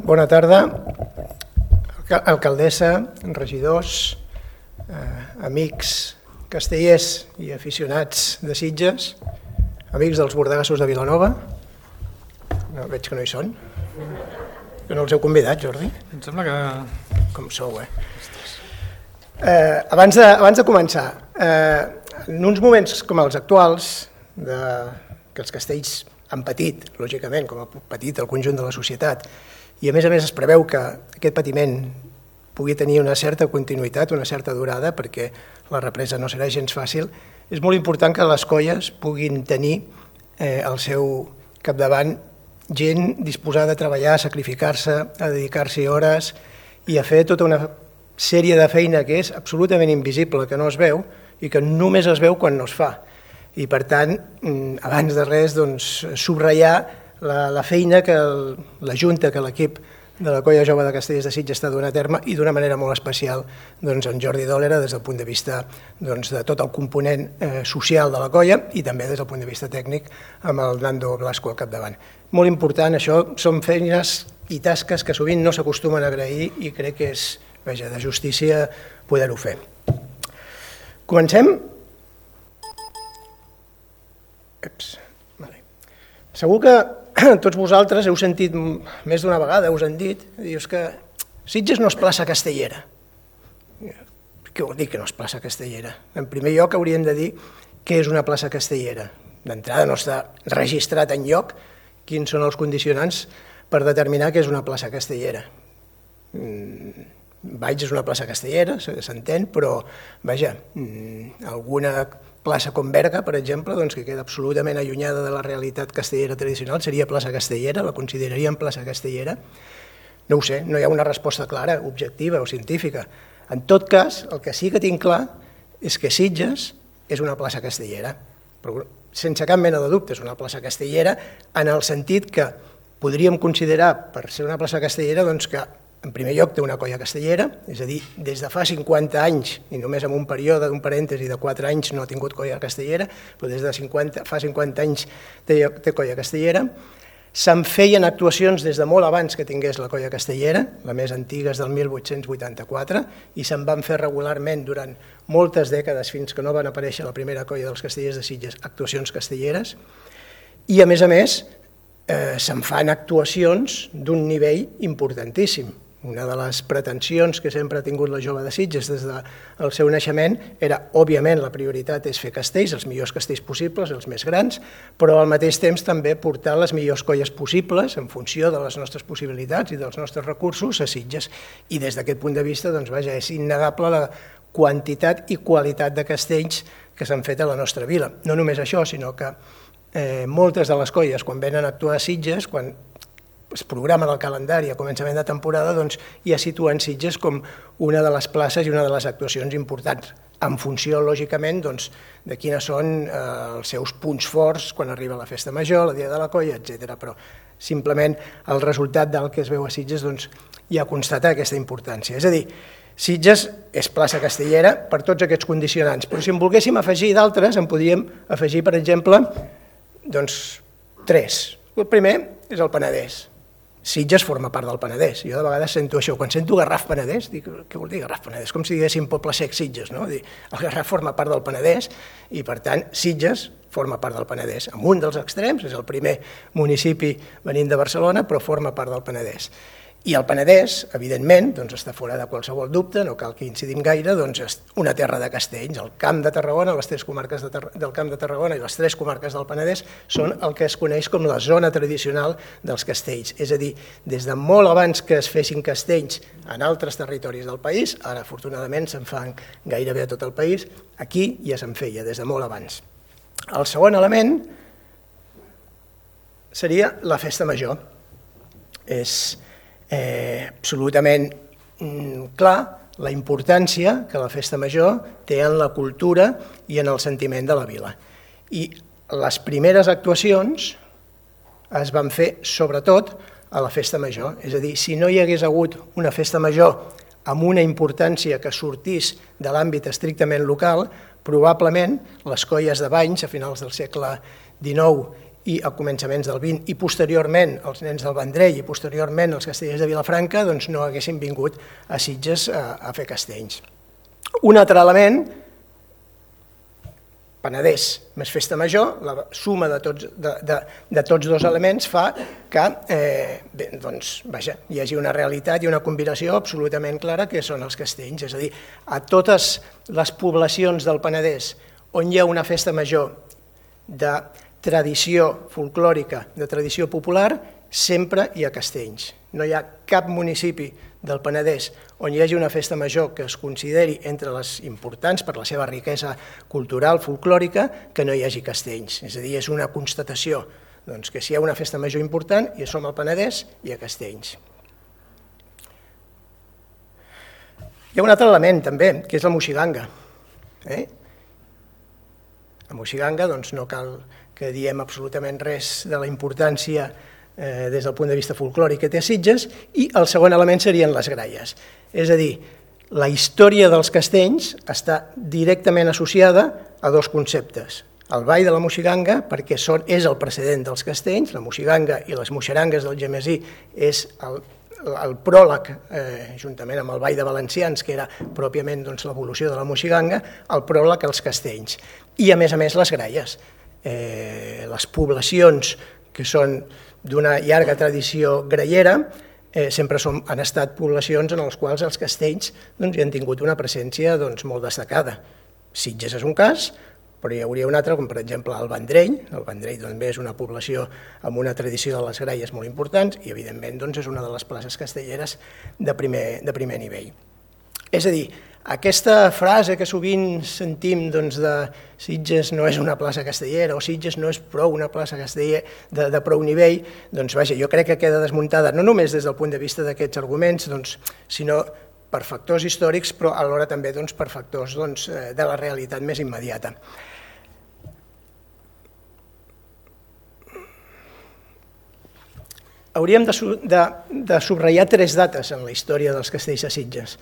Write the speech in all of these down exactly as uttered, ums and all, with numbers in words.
Bona tarda, alcaldessa, regidors, eh, amics castellers i aficionats de Sitges, amics dels bordegassos de Vilanova. No, veig que no hi són. Que no els heu convidat, Jordi? Em sembla que... Com sou, eh? eh abans, de, abans de començar, eh, en uns moments com els actuals, de, que els castells han patit, lògicament, com ha patit el conjunt de la societat, i a més a més es preveu que aquest patiment pugui tenir una certa continuïtat, una certa durada, perquè la represa no serà gens fàcil, és molt important que les colles puguin tenir eh, al seu capdavant gent disposada a treballar, a sacrificar-se, a dedicar-s'hi hores i a fer tota una sèrie de feina que és absolutament invisible, que no es veu i que només es veu quan no es fa. I per tant, abans de res, doncs, subratllar la, la feina que el, la Junta, que l'equip de la Colla Jove de Castellers de Sitges està donant a terme i d'una manera molt especial doncs, en Jordi Dòlera des del punt de vista doncs, de tot el component eh, social de la colla i també des del punt de vista tècnic amb el Nando Blasco al capdavant. Molt important, això són feines i tasques que sovint no s'acostumen a agrair i crec que és vaja, de justícia poder-ho fer. Comencem? Eps, vale. Segur que tots vosaltres heu sentit més d'una vegada, us han dit, dius que Sitges no és plaça castellera. Què vol dir que no és plaça castellera? En primer lloc hauríem de dir què és una plaça castellera. D'entrada no està registrat enlloc quins són els condicionants per determinar què és una plaça castellera. Valls és una plaça castellera, s'entén, però vaja, alguna plaça com Berga, per exemple, doncs, que queda absolutament allunyada de la realitat castellera tradicional, seria plaça castellera, la consideraríem plaça castellera? No ho sé, no hi ha una resposta clara, objectiva o científica. En tot cas, el que sí que tinc clar és que Sitges és una plaça castellera, però sense cap mena de dubte és una plaça castellera en el sentit que podríem considerar, per ser una plaça castellera, doncs que en primer lloc té una colla castellera, és a dir, des de fa cinquanta anys, i només en un període d'un parèntesi de quatre anys no ha tingut colla castellera, però des de cinquanta, fa cinquanta anys té, té colla castellera. Se'n feien actuacions des de molt abans que tingués la colla castellera, la més antiga és del mil vuit-cents vuitanta-quatre, i se'n van fer regularment durant moltes dècades fins que no van aparèixer la primera colla dels castellers de Sitges, actuacions castelleres, i a més a més eh, se'n fan actuacions d'un nivell importantíssim. Una de les pretensions que sempre ha tingut la Jove de Sitges des del seu naixement era, òbviament, la prioritat és fer castells, els millors castells possibles, els més grans, però al mateix temps també portar les millors colles possibles en funció de les nostres possibilitats i dels nostres recursos a Sitges. I des d'aquest punt de vista, doncs, vaja, és innegable la quantitat i qualitat de castells que s'han fet a la nostra vila. No només això, sinó que eh, moltes de les colles, quan venen a actuar a Sitges, quan es programen el calendari a començament de temporada, doncs ja situen Sitges com una de les places i una de les actuacions importants, en funció, lògicament, doncs, de quines són eh, els seus punts forts quan arriba la festa major, la dia de la colla, etcètera. Però simplement el resultat del que es veu a Sitges doncs, ja constata aquesta importància. És a dir, Sitges és plaça castellera per tots aquests condicionants, però si en volguéssim afegir d'altres, en podríem afegir, per exemple, doncs, tres. El primer és el Penedès. Sitges forma part del Penedès. Jo de vegades sento això. Quan sento Garraf Penedès, dic, què vol dir Garraf Penedès? Com si diguéssim Poble Sec Sitges, no? El Garraf forma part del Penedès i, per tant, Sitges forma part del Penedès. En un dels extrems, és el primer municipi venint de Barcelona, però forma part del Penedès. I el Penedès, evidentment, doncs està fora de qualsevol dubte, no cal que incidim gaire, doncs és una terra de castells. El Camp de Tarragona, les tres comarques de del Camp de Tarragona i les tres comarques del Penedès són el que es coneix com la zona tradicional dels castells. És a dir, des de molt abans que es fessin castells en altres territoris del país, ara afortunadament se'n fan gairebé a tot el país, aquí ja se'n feia, des de molt abans. El segon element seria la festa major. És Eh, absolutament mm, clar la importància que la festa major té en la cultura i en el sentiment de la vila. I les primeres actuacions es van fer sobretot a la festa major, és a dir, si no hi hagués hagut una festa major amb una importància que sortís de l'àmbit estrictament local, probablement les colles de banys a finals del segle dinou i a començaments del vint, i posteriorment els nens del Vendrell i posteriorment els castellers de Vilafranca doncs no haguessin vingut a Sitges a, a fer castells. Un altre element, Penedès més festa major, la suma de tots, de, de, de tots dos elements fa que eh, bé, doncs, vaja, hi hagi una realitat i una combinació absolutament clara que són els castells. És a dir, a totes les poblacions del Penedès on hi ha una festa major de tradició folclòrica, de tradició popular, sempre hi ha castells. No hi ha cap municipi del Penedès on hi hagi una festa major que es consideri entre les importants per la seva riquesa cultural, folclòrica, que no hi hagi castells. És a dir, és una constatació doncs, que si hi ha una festa major important i som al Penedès, hi ha castells. Hi ha un altre element també, que és la moixiganga. Eh? La moixiganga doncs, no cal que diem absolutament res de la importància Eh, des del punt de vista folclòric que té a Sitges, i el segon element serien les gralles. És a dir, la història dels castells està directament associada a dos conceptes. El ball de la moixiganga, perquè són, és el precedent dels castells, la moixiganga i les moixerangues del Gemesí és el, el pròleg, eh, juntament amb el ball de valencians, que era pròpiament doncs, l'evolució de la moixiganga, el pròleg als castells. I a més a més les gralles. Eh, les poblacions que són d'una llarga tradició grallera, eh, sempre som, han estat poblacions en les quals els castells doncs, hi han tingut una presència doncs, molt destacada. Sitges és un cas, però hi hauria un altre, com per exemple el Vendrell. El Vendrell també és una població amb una tradició de les gralles molt importants i evidentment doncs, és una de les places castelleres de primer, de primer nivell. És a dir, aquesta frase que sovint sentim doncs, de Sitges no és una plaça castellera o Sitges no és prou una plaça castellera de, de prou nivell, doncs vaja, jo crec que queda desmuntada no només des del punt de vista d'aquests arguments, doncs, sinó per factors històrics, però alhora també doncs, per factors doncs, de la realitat més immediata. Hauríem de, de, de subratllar tres dates en la història dels castells de Sitges.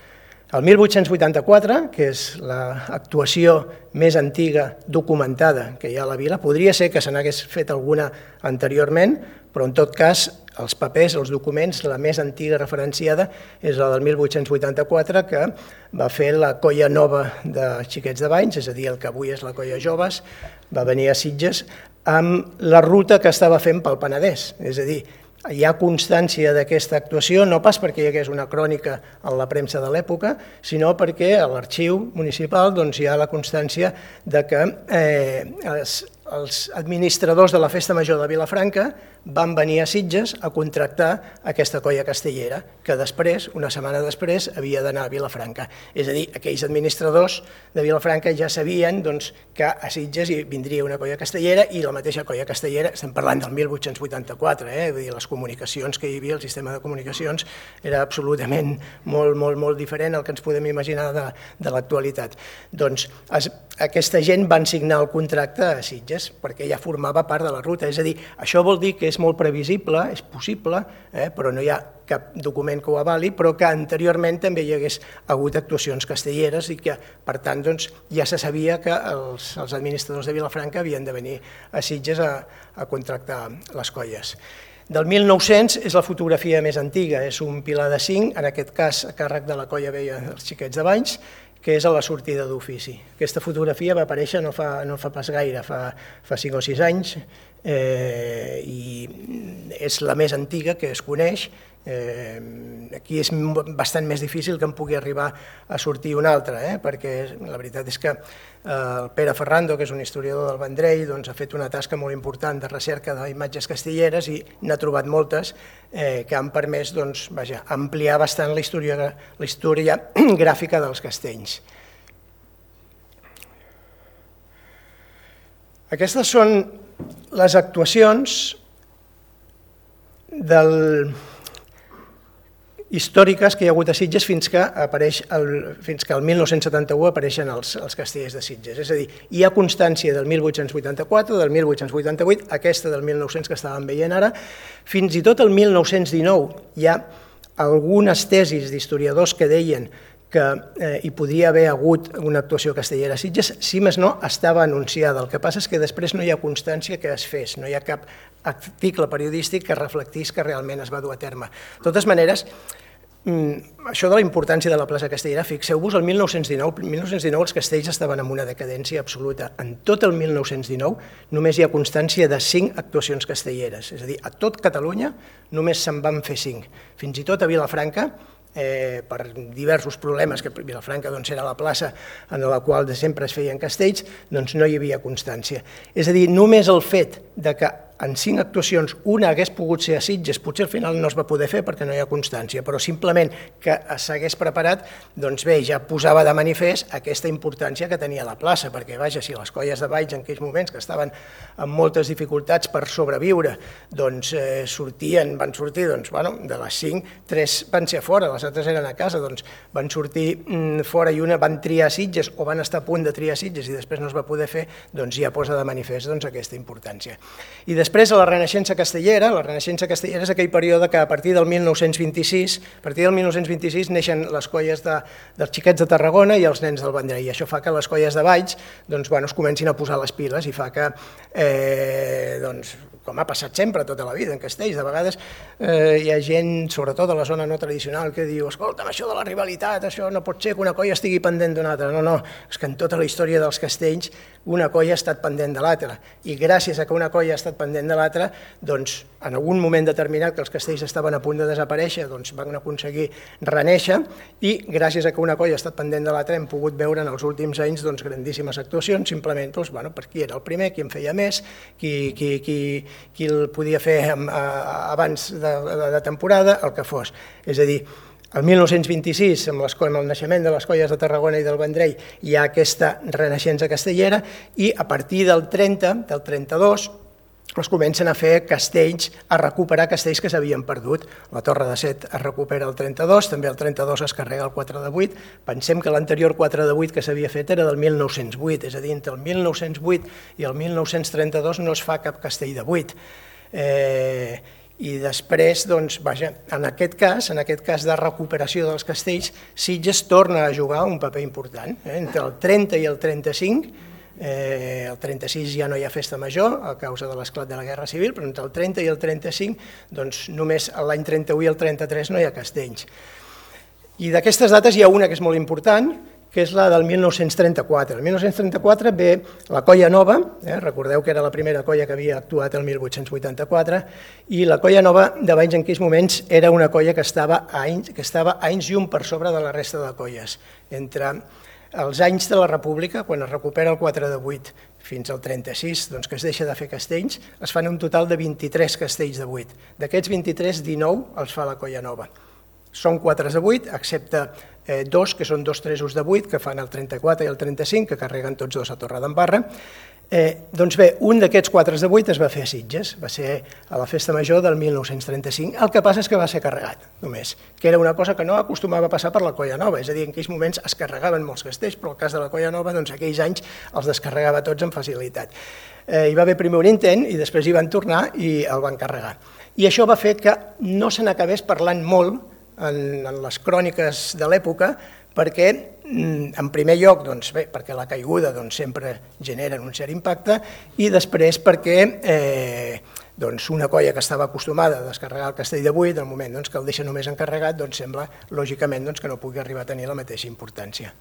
El mil vuit-cents vuitanta-quatre, que és l'actuació més antiga documentada que hi ha a la vila, podria ser que se n'hagués fet alguna anteriorment, però en tot cas els papers, els documents, la més antiga referenciada és la del mil vuit-cents vuitanta-quatre, que va fer la Colla Nova de Xiquets de Banys, és a dir, el que avui és la Colla Joves, va venir a Sitges amb la ruta que estava fent pel Penedès, és a dir, hi ha constància d'aquesta actuació, no pas perquè hi hagués una crònica en la premsa de l'època, sinó perquè a l'arxiu municipal doncs, hi ha la constància de que eh, els, els administradors de la Festa Major de Vilafranca van venir a Sitges a contractar aquesta colla castellera, que després, una setmana després, havia d'anar a Vilafranca. És a dir, aquells administradors de Vilafranca ja sabien doncs, que a Sitges hi vindria una colla castellera i la mateixa colla castellera, estem parlant del mil vuit-cents vuitanta-quatre, eh? Vull dir, les comunicacions que hi havia, el sistema de comunicacions, era absolutament molt, molt, molt diferent al que ens podem imaginar de, de l'actualitat. Doncs es, aquesta gent van signar el contracte a Sitges perquè ja formava part de la ruta, és a dir, això vol dir que és molt previsible, és possible, eh, però no hi ha cap document que ho avali, però que anteriorment també hi hagués hagut actuacions castelleres i que, per tant, doncs, ja se sabia que els, els administradors de Vilafranca havien de venir a Sitges a, a contractar les colles. Del mil nou-cents és la fotografia més antiga, és un pilar de cinc, en aquest cas a càrrec de la colla vella dels Xiquets de Banys, que és a la sortida d'ofici. Aquesta fotografia va aparèixer no fa, no fa pas gaire, fa, fa cinc o sis anys, eh, i és la més antiga que es coneix. Eh, aquí és bastant més difícil que en pugui arribar a sortir una altra, eh, perquè la veritat és que eh, el Pere Ferrando, que és un historiador del Vendrell, doncs, ha fet una tasca molt important de recerca d'imatges castelleres i n'ha trobat moltes eh, que han permès doncs, vaja, ampliar bastant la història, la història gràfica dels castells. Aquestes són les actuacions del històriques que hi ha hagut a Sitges fins que, apareix el, fins que el mil nou-cents setanta-u apareixen els, els castellers de Sitges. És a dir, hi ha constància del mil vuit-cents vuitanta-quatre, del mil vuit-cents vuitanta-vuit, aquesta del mil nou-cents que estàvem veient ara, fins i tot el mil nou-cents dinou hi ha algunes tesis d'historiadors que deien que eh, hi podria haver hagut una actuació castellera a Sitges, si més no, estava anunciada. El que passa és que després no hi ha constància que es fes, no hi ha cap article periodístic que reflectís que realment es va dur a terme. De totes maneres, això de la importància de la plaça castellera, fixeu-vos, el mil nou-cents dinou, mil nou-cents dinou els castells estaven en una decadència absoluta. En tot el mil nou-cents dinou només hi ha constància de cinc actuacions castelleres, és a dir, a tot Catalunya només se'n van fer cinc. Fins i tot a Vilafranca, eh, per diversos problemes, que Vilafranca doncs, era la plaça en la qual sempre es feien castells, doncs no hi havia constància. És a dir, només el fet de que en cinc actuacions una hagués pogut ser a Sitges, potser al final no es va poder fer perquè no hi ha constància, però simplement que s'hagués preparat, doncs bé, ja posava de manifest aquesta importància que tenia la plaça, perquè vaja, si les colles de Valls en aquells moments que estaven amb moltes dificultats per sobreviure, doncs eh, sortien, van sortir, doncs, bueno, de les cinc, tres van ser fora, les altres eren a casa, doncs van sortir mm, fora i una van triar Sitges o van estar a punt de triar Sitges i després no es va poder fer, doncs ja posa de manifest doncs, aquesta importància. I després, a la Renaixença castellera, la Renaixença castellera és aquell període que a partir del mil nou-cents vint-i-sis, a partir del mil nou-cents vint-i-sis neixen les colles de, dels xiquets de Tarragona i els nens del Vendrell, i això fa que les colles de Valls doncs, bueno, es comencin a posar les piles i fa que, eh, doncs, com ha passat sempre tota la vida en castells, de vegades eh, hi ha gent, sobretot a la zona no tradicional, que diu, escolta'm, això de la rivalitat, això no pot ser que una colla estigui pendent d'una altra. No, no, és que en tota la història dels castells una colla ha estat pendent de l'altra, i gràcies a que una colla ha estat pendent de l'altra, doncs en algun moment determinat que els castells estaven a punt de desaparèixer, doncs van aconseguir renéixer, i gràcies a que una colla ha estat pendent de l'altra hem pogut veure en els últims anys doncs, grandíssimes actuacions, simplement doncs, bueno, per qui era el primer, qui en feia més, qui, qui, qui, qui el podia fer abans de, de, de temporada, el que fos. És a dir, el mil nou-cents vint-i-sis, amb, les, amb el naixement de les colles de Tarragona i del Vendrell, hi ha aquesta renaixença castellera, i a partir del trenta, del trenta-dos, es comencen a fer castells, a recuperar castells que s'havien perdut. La Torre de Set es recupera el trenta-dos, també el trenta-dos es carrega el quatre de vuit. Pensem que l'anterior quatre de vuit que s'havia fet era del mil nou-cents vuit, és a dir, entre el mil nou-cents vuit i el mil nou-cents trenta-dos no es fa cap castell de vuit. Eh, I després, doncs, vaja, en aquest cas, en aquest cas de recuperació dels castells, Sitges torna a jugar un paper important. Eh? Entre el trenta i el trenta-cinc, Eh, el trenta-sis ja no hi ha festa major a causa de l'esclat de la Guerra Civil, però entre el trenta i el trenta-cinc, doncs només l'any trenta-u i el trenta-tres no hi ha castells. I d'aquestes dates hi ha una que és molt important, que és la del mil nou-cents trenta-quatre. El mil nou-cents trenta-quatre ve la Colla Nova, eh, recordeu que era la primera colla que havia actuat el mil vuit-cents vuitanta-quatre, i la Colla Nova de Valls en aquells moments era una colla que estava a anys, que estava a anys llum per sobre de la resta de colles. Entre els anys de la República, quan es recupera el quatre de vuit fins al trenta-sis, doncs que es deixa de fer castells, es fan un total de vint-i-tres castells de vuit. D'aquests vint-i-tres, dinou els fa la Colla Nova. Són quatre de vuit, excepte eh, dos, que són dos tresos de vuit, que fan el trenta-quatre i el trenta-cinc, que carreguen tots dos a Torredembarra. Eh, doncs bé, un d'aquests quatre de vuit es va fer a Sitges, va ser a la Festa Major del mil nou-cents trenta-cinc, el que passa és que va ser carregat, només, que era una cosa que no acostumava a passar per la Colla Nova, és a dir, en aquells moments es carregaven molts castells, però el cas de la Colla Nova, doncs aquells anys els descarregava tots amb facilitat. Eh, hi va haver primer un intent i després hi van tornar i el van carregar. I això va fer que no se n'acabés parlant molt en, en les cròniques de l'època, perquè, en primer lloc, doncs, bé, perquè la caiguda doncs, sempre genera un cert impacte, i després perquè eh, doncs, una colla que estava acostumada a descarregar el castell de vuit, al moment doncs, que el deixa només encarregat, doncs, sembla lògicament doncs, que no pugui arribar a tenir la mateixa importància.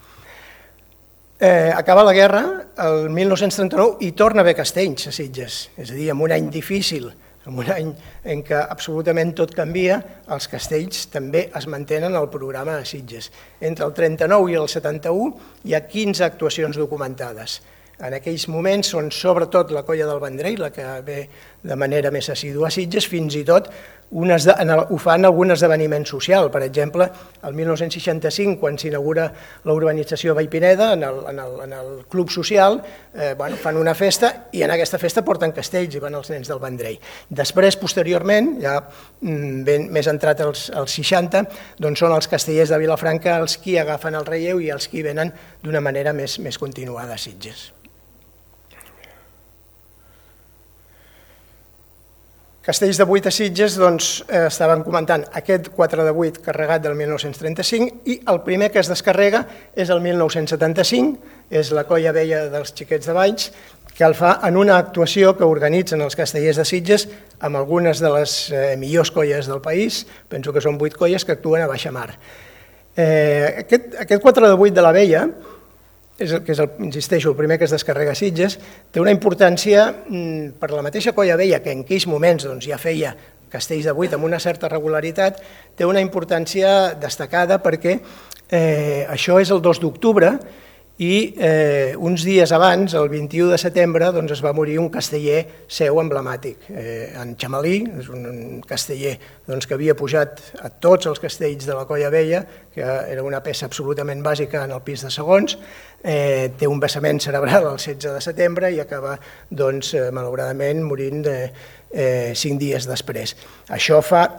Eh, acaba la guerra, el mil nou-cents trenta-nou, i torna a haver castells a Sitges, és a dir, en un any difícil, en un any en què absolutament tot canvia, els castells també es mantenen al programa a Sitges. Entre el trenta-nou i el setanta-u hi ha quinze actuacions documentades. En aquells moments són sobretot la Colla del Vendrell, la que ve de manera més assídua a Sitges, fins i tot unes de, en el, ho fan algun esdeveniment social. Per exemple, el mil nou-cents seixanta-cinc, quan s'inaugura la urbanització Vallpineda, en el, en el, en el club social, eh, bueno, fan una festa i en aquesta festa porten castells i van els nens del Vendrell. Després, posteriorment, ja ben, més entrat als, als seixanta, doncs són els castellers de Vilafranca els qui agafen el relleu i els qui venen d'una manera més, més continuada a Sitges. Castells de vuit a Sitges, doncs, eh, estaven comentant aquest quatre de vuit carregat del mil nou-cents trenta-cinc i el primer que es descarrega és el mil nou-cents setanta-cinc, és la Colla Vella dels Xiquets de Valls, que el fa en una actuació que organitzen els castellers de Sitges amb algunes de les eh, millors colles del país, penso que són vuit colles que actuen a baixa mar. Eh, aquest, aquest quatre de vuit de la Vella, és el, que és, el, insisteixo, el primer que es descarrega a Sitges, té una importància mm, per la mateixa Colla Vella, que en aquells moments doncs, ja feia castells de vuit amb una certa regularitat, té una importància destacada perquè eh, això és el dos d'octubre i eh, uns dies abans, el vint-i-u de setembre, doncs, es va morir un casteller seu emblemàtic, eh, en Xamalí, és un, un casteller doncs, que havia pujat a tots els castells de la Colla Vella, que era una peça absolutament bàsica en el pis de segons, eh, té un vessament cerebral el setze de setembre i acaba, doncs, eh, malauradament, morint de, eh, cinc dies després. Això fa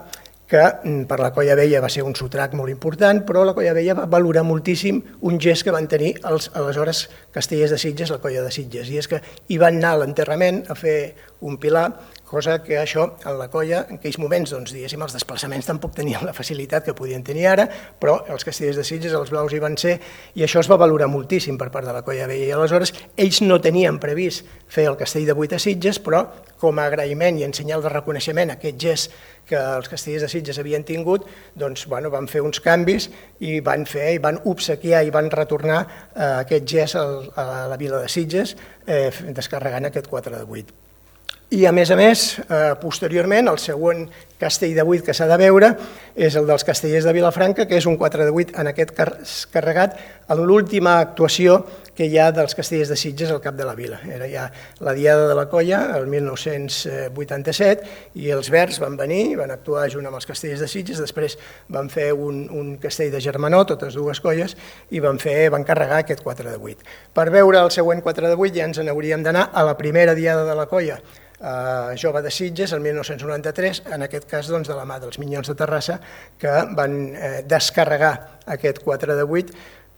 que per la Colla Vella va ser un sotrac molt important, però la Colla Vella va valorar moltíssim un gest que van tenir els aleshores castellers de Sitges, la Colla de Sitges, i és que hi van anar a l'enterrament a fer un pilar, cosa que això en la colla, en aquells moments, doncs, diguéssim, els desplaçaments tampoc tenien la facilitat que podien tenir ara, però els castellers de Sitges, els blaus hi van ser, i això es va valorar moltíssim per part de la Colla Vella, i aleshores ells no tenien previst fer el castell de vuit a Sitges, però com a agraïment i en senyal de reconeixement a aquest gest que els castellers de Sitges havien tingut, doncs, bueno, van fer uns canvis i van fer, i van obsequiar i van retornar eh, aquest gest al, a la vila de Sitges, eh, descarregant aquest quatre de vuit. I, a més a més, eh, posteriorment, el següent castell de vuit que s'ha de veure és el dels castellers de Vilafranca, que és un quatre de vuit en aquest car carregat en l'última actuació que hi ha dels castellers de Sitges al cap de la vila. Era ja la Diada de la Colla, el mil nou-cents vuitanta-set, i els Verds van venir, van actuar junt amb els castellers de Sitges, després van fer un, un castell de Germanó, totes dues colles, i van, fer, van carregar aquest quatre de vuit. Per veure el següent quatre de vuit ja ens n'hauríem d'anar a la primera Diada de la Colla, Uh, jove de Sitges, el mil nou-cents noranta-tres, en aquest cas doncs, de la mà dels Minyons de Terrassa, que van eh, descarregar aquest quatre de vuit.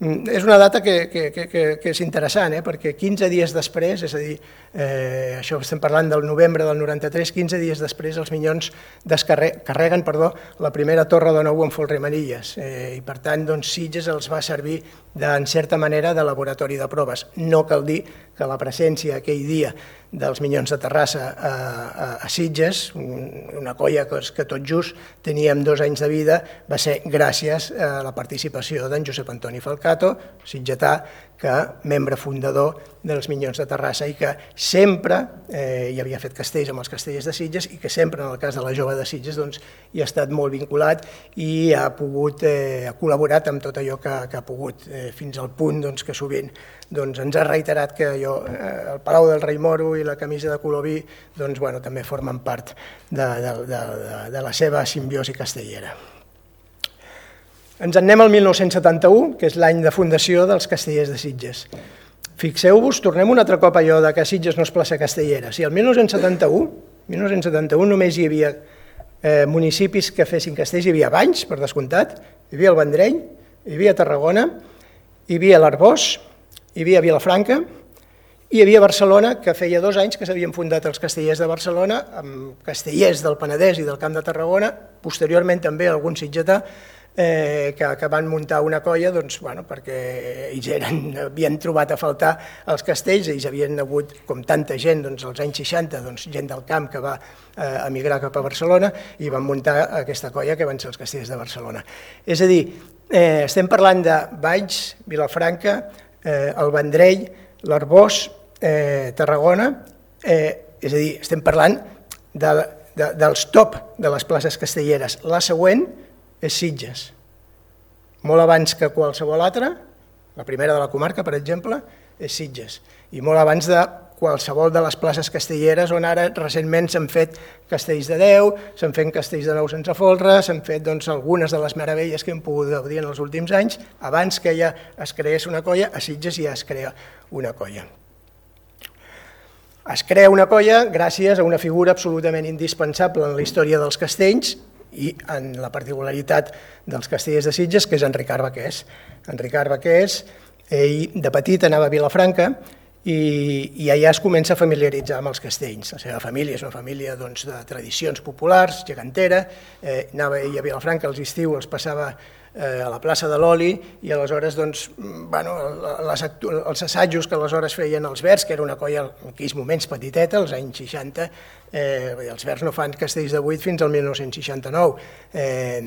Mm, és una data que, que, que, que és interessant, eh, perquè quinze dies després, és a dir, eh, això estem parlant del novembre del noranta-tres, quinze dies després els Minyons descarreguen perdó, la primera torre de nou en Folremanilles, eh, i per tant doncs, Sitges els va servir de, en certa manera de laboratori de proves. No cal dir que la presència aquell dia dels Minyons de Terrassa a, a, a Sitges, una colla que, que tot just teníem dos anys de vida, va ser gràcies a la participació d'en Josep Antoni Falcato, sitgetà, que membre fundador dels Minyons de Terrassa i que sempre eh, hi havia fet castells amb els castellers de Sitges i que sempre, en el cas de la jove de Sitges, doncs, hi ha estat molt vinculat i ha pogut, eh, ha col·laborat amb tot allò que, que ha pogut, eh, fins al punt doncs, que sovint doncs, ens ha reiterat que jo, eh, el Palau del Rei Moro i la camisa de color vi doncs, bueno, també formen part de, de, de, de, de la seva simbiosi castellera. Ens en anem al mil nou-cents setanta-u, que és l'any de fundació dels castellers de Sitges. Fixeu-vos, tornem un altre cop a allò de que Sitges no és plaça castellera. Si el mil nou-cents setanta-u, mil nou-cents setanta-u només hi havia eh, municipis que fessin castells, hi havia Valls, per descomptat, hi havia el Vendrell, hi havia Tarragona, hi havia l'Arboç, hi havia Vilafranca, i hi havia Barcelona, que feia dos anys que s'havien fundat els castellers de Barcelona, amb castellers del Penedès i del Camp de Tarragona, posteriorment també algun sitgetà, Eh, que, que van muntar una colla doncs, bueno, perquè ells eren, havien trobat a faltar els castells, ells havien hagut, com tanta gent, doncs, als anys seixanta, doncs, gent del camp que va eh, emigrar cap a Barcelona i van muntar aquesta colla que van ser els castells de Barcelona. És a dir, eh, estem parlant de Valls, Vilafranca, eh, el Vendrell, l'Arboç, eh, Tarragona, eh, és a dir, estem parlant de, de, dels top de les places castelleres. La següent és Sitges, molt abans que qualsevol altra, la primera de la comarca, per exemple, és Sitges, i molt abans de qualsevol de les places castelleres on ara recentment s'han fet castells de deu, s'han fet castells de nou sense folre, s'han fet doncs, algunes de les meravelles que hem pogut gaudir en els últims anys, abans que ja es creés una colla, a Sitges ja es crea una colla. Es crea una colla gràcies a una figura absolutament indispensable en la història dels castells, i en la particularitat dels castellers de Sitges, que és en Ricard Baqués. En Ricard Baqués, ell de petit anava a Vilafranca i, i allà es comença a familiaritzar amb els castells. La seva família és una família doncs, de tradicions populars, gegantera, eh, anava ell a Vilafranca als estius, els passava eh, a la plaça de l'Oli, i aleshores doncs, bueno, les, els assajos que aleshores feien els Verds, que era una colla en aquells moments petiteta, als anys seixanta, eh, els Verds no fan castells de vuit fins al mil nou-cents seixanta-nou, eh,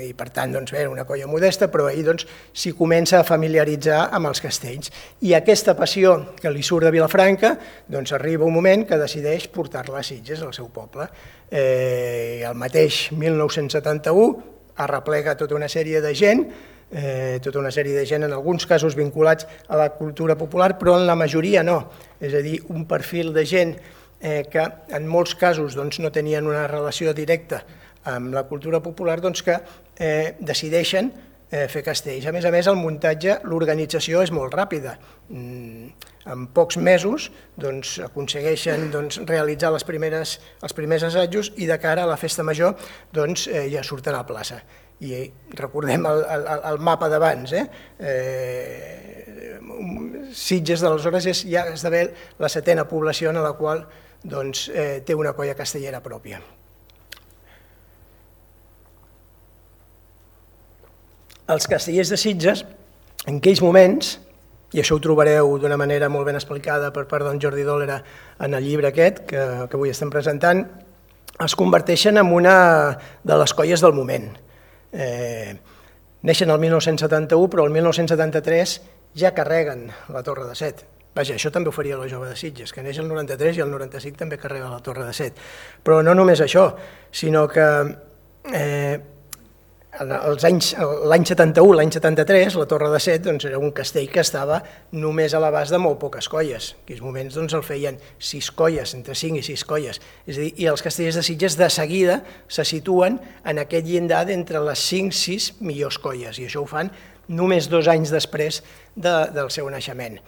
i per tant doncs, era una colla modesta, però ell doncs, s'hi comença a familiaritzar amb els castells. I aquesta passió que li surt de Vilafranca, doncs arriba un moment que decideix portar-la a Sitges, al seu poble. Eh, el mateix mil nou-cents setanta-u arreplega tota una sèrie de gent, eh, tota una sèrie de gent, en alguns casos vinculats a la cultura popular, però en la majoria no. És a dir, un perfil de gent eh, que en molts casos doncs, no tenien una relació directa amb la cultura popular, doncs, que eh, decideixen eh, fer castells. A més a més, el muntatge, l'organització és molt ràpida. Mm, en pocs mesos doncs, aconsegueixen doncs, realitzar les primeres, els primers assajos i de cara a la festa major doncs, eh, ja surten a la plaça. I recordem el, el, el mapa d'abans, eh? eh, Sitges d'aleshores és, ja esdevé la setena població en la qual doncs, eh, té una colla castellera pròpia. Els castellers de Sitges, en aquells moments, i això ho trobareu d'una manera molt ben explicada per part d'en Jordi Dòlera en el llibre aquest que, que avui estem presentant, es converteixen en una de les colles del moment. Eh, neixen el mil nou-cents setanta-u, però el mil nou-cents setanta-tres ja carreguen la Torre de Set. Vaja, això també ho faria la Jove de Sitges, que neix el noranta-tres i el noranta-cinc també carrega la Torre de Set. Però no només això, sinó que eh, l'any setanta-u, l'any setanta-tres, la Torre de Set doncs, era un castell que estava només a l'abast de molt poques colles. En aquells moments doncs, el feien sis colles, entre cinc i sis colles. És a dir, i els castellers de Sitges de seguida se situen en aquest llindar d'entre les cinc i sis millors colles, i això ho fan només dos anys després de, del seu naixement.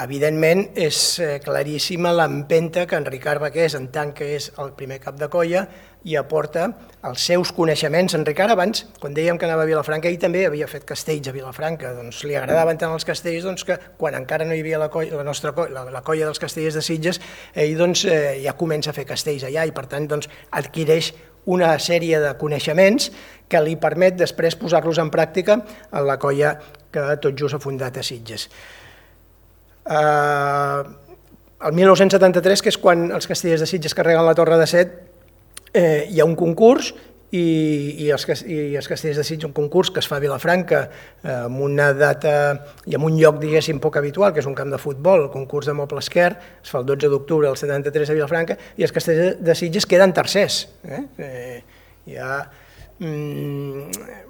Evidentment, és claríssima l'empenta que en Ricard Baqués, en tant que és el primer cap de colla, i aporta els seus coneixements. En Ricard, abans, quan dèiem que anava a Vilafranca, ell també havia fet castells a Vilafranca. Doncs li agradaven tant els castells doncs, que quan encara no hi havia la, colla, la nostra colla, la, la colla dels castellers de Sitges, ell doncs, eh, ja comença a fer castells allà i per tant doncs, adquireix una sèrie de coneixements que li permet després posar-los en pràctica en la colla que tot just ha fundat a Sitges. Uh, el mil nou-cents setanta-tres, que és quan els castellers de Sitges carreguen la Torre de Set, eh, hi ha un concurs i, i, els, i els castellers de Sitges, un concurs que es fa a Vilafranca eh, amb una data i amb un lloc, diguéssim, poc habitual, que és un camp de futbol, el concurs de Moble Esquer, es fa el dotze d'octubre del setanta-tres a Vilafranca, i els castellers de Sitges queden tercers. Eh? Eh, hi ha... Mm,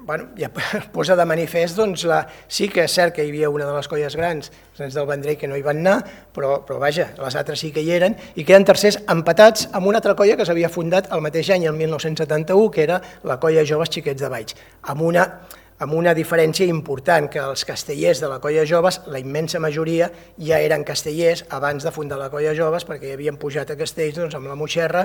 bueno, ja posa de manifest, doncs, la, sí que és cert que hi havia una de les colles grans, els nens del Vendrell, que no hi van anar, però, però vaja, les altres sí que hi eren, i queden tercers empatats amb una altra colla que s'havia fundat el mateix any, el mil nou-cents setanta-u, que era la colla Joves Xiquets de Valls, amb una... amb una diferència important, que els castellers de la colla Joves, la immensa majoria, ja eren castellers abans de fundar la colla Joves, perquè hi havien pujat a castells doncs, amb la Moixerra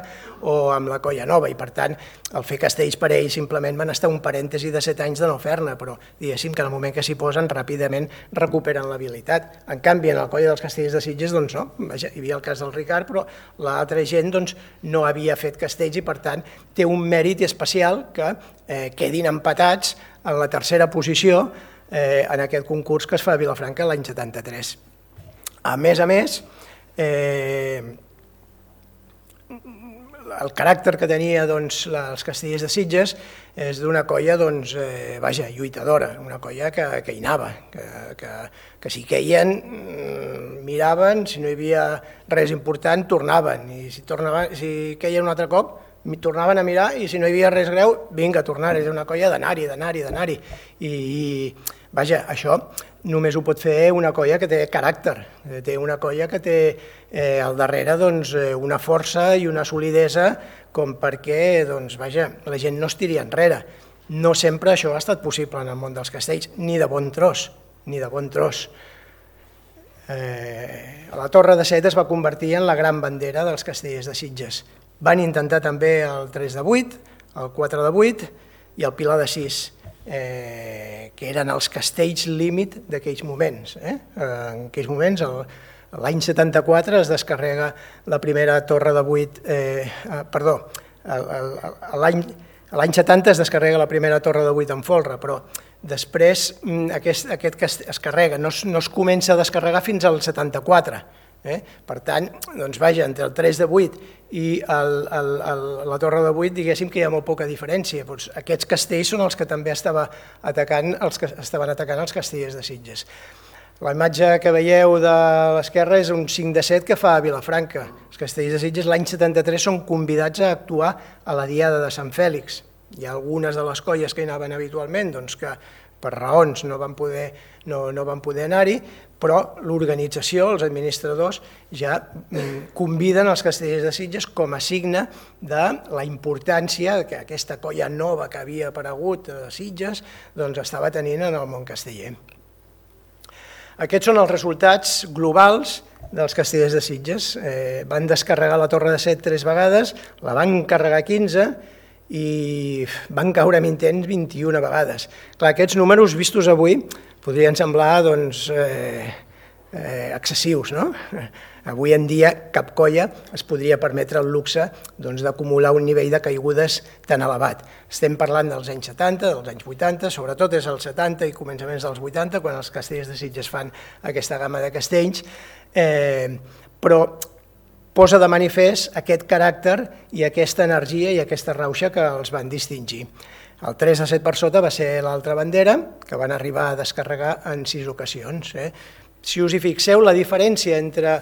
o amb la colla Nova, i per tant, el fer castells per ells simplement van estar un parèntesi de set anys de no fer-ne, però diguéssim que en el moment que s'hi posen ràpidament recuperen l'habilitat. En canvi, en la colla dels castellers de Sitges, doncs no, vaja, hi havia el cas del Ricard, però l'altra gent doncs, no havia fet castells i per tant té un mèrit especial que eh, quedin empatats en la tercera posició eh, en aquest concurs que es fa a Vilafranca l'any setanta-tres. A més a més, eh, el caràcter que tenia doncs, els castellers de Sitges és d'una colla doncs, eh, vaja, lluitadora, una colla que, que hi anava, que, que, que si queien, miraven, si no hi havia res important, tornaven, i si, tornaven, si queien un altre cop, tornaven a mirar i si no hi havia res greu, vinga, a tornar, és una colla d'anar-hi, d'anar-hi, d'anar-hi. I, i, vaja, això només ho pot fer una colla que té caràcter, té una colla que té eh, al darrere doncs, una força i una solidesa com perquè, doncs, vaja, la gent no es tiri enrere. No sempre això ha estat possible en el món dels castells, ni de bon tros, ni de bon tros. Eh, la Torre de Set es va convertir en la gran bandera dels castellers de Sitges. Van intentar també el tres de vuit, el quatre de vuit i el Pilar de sis, eh, que eren els castells límit d'aquells moments. Eh? En aquells moments el, L'any setanta-quatre es descarrega la primera torre de vuit, eh, perdó, l'any setanta es descarrega la primera torre de vuit en folre, però després aquest, aquest que es carrega no es, no es comença a descarregar fins al setanta-quatre. Eh? Per tant, doncs vaja, entre el tres de vuit i el, el, el, la torre de vuit, diguéssim que hi ha molt poca diferència. Doncs aquests castells són els que també estava atacant, els que estaven atacant els castellers de Sitges. La imatge que veieu de l'esquerra és un cinc de set que fa a Vilafranca. Els castellers de Sitges l'any setanta-tres són convidats a actuar a la Diada de Sant Fèlix. Hi ha algunes de les colles que hi anaven habitualment doncs que per raons no van poder, no, no van poder anar-hi, però l'organització, els administradors, ja conviden els castellers de Sitges com a signe de la importància que aquesta colla nova que havia aparegut a Sitges doncs estava tenint en el món casteller. Aquests són els resultats globals dels castellers de Sitges. Eh, van descarregar la torre de set tres vegades, la van carregar quinze i van caure amb intents vint-i-una vegades. Clar, aquests números vistos avui podrien semblar doncs, eh, eh, excessius, no? Avui en dia cap colla es podria permetre el luxe doncs, d'acumular un nivell de caigudes tan elevat. Estem parlant dels anys setanta, dels anys vuitanta, sobretot és els setanta i començaments dels vuitanta, quan els castellers de Sitges fan aquesta gamma de castells, eh, però posa de manifest aquest caràcter i aquesta energia i aquesta rauxa que els van distingir. El tres a set per sota va ser l'altra bandera, que van arribar a descarregar en sis ocasions. Eh? Si us hi fixeu, la diferència entre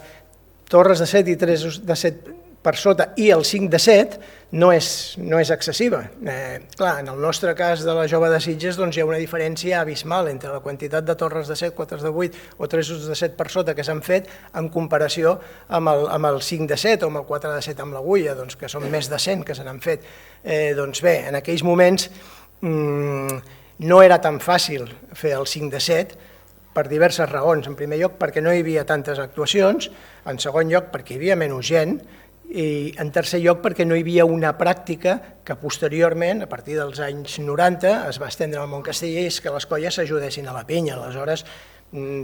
torres de set i tres de set per sota i el cinc de set no és, no és excessiva. Eh, clar, en el nostre cas de la jove de Sitges doncs, hi ha una diferència abismal entre la quantitat de torres de set, quatre de vuit o tres de set per sota que s'han fet en comparació amb el, amb el cinc de set o amb el quatre de set amb l'agulla, doncs, que són més de cent que se n'han fet. Eh, doncs bé, en aquells moments mmm, no era tan fàcil fer el cinc de set, per diverses raons. En primer lloc, perquè no hi havia tantes actuacions, en segon lloc, perquè hi havia menys gent, i en tercer lloc, perquè no hi havia una pràctica que posteriorment, a partir dels anys noranta, es va estendre al món casteller, és que les colles s'ajudessin a la pinya. Aleshores,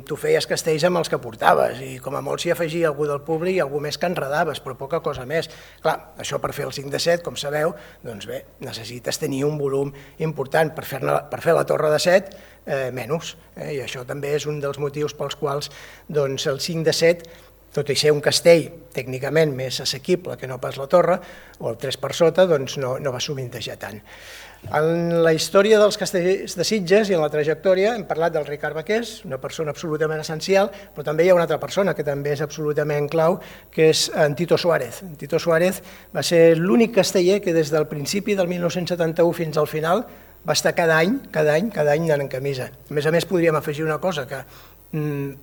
tu feies castells amb els que portaves i com a molt s'hi afegia algú del públic i algú més que enredaves, però poca cosa més. Clar, això per fer el cinc de set, com sabeu, doncs bé, necessites tenir un volum important. Per fer, per fer la torre de set, eh, menys, eh, i això també és un dels motius pels quals doncs, el cinc de set, tot i ser un castell tècnicament més assequible que no pas la torre, o el tres per sota, doncs no, no va sovintejar tant. En la història dels castellers de Sitges i en la trajectòria hem parlat del Ricard Baqués, una persona absolutament essencial, però també hi ha una altra persona que també és absolutament clau, que és en Tito Suárez. En Tito Suárez va ser l'únic casteller que des del principi del mil nou-cents setanta-u fins al final va estar cada any, cada any, cada any anant en camisa. A més a més, podríem afegir una cosa, que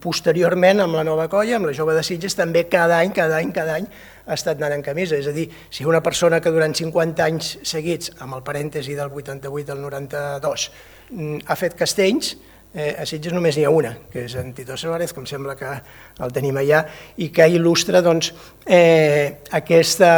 posteriorment amb la nova colla, amb la jove de Sitges, també cada any, cada any, cada any ha estat anant en camisa. És a dir, si una persona que durant cinquanta anys seguits, amb el parèntesi del vuitanta-vuit al noranta-dos, ha fet castells, eh, a Sitges només n'hi ha una, que és en Tito Suárez, com sembla que el tenim allà, i que il·lustra doncs, eh, aquesta,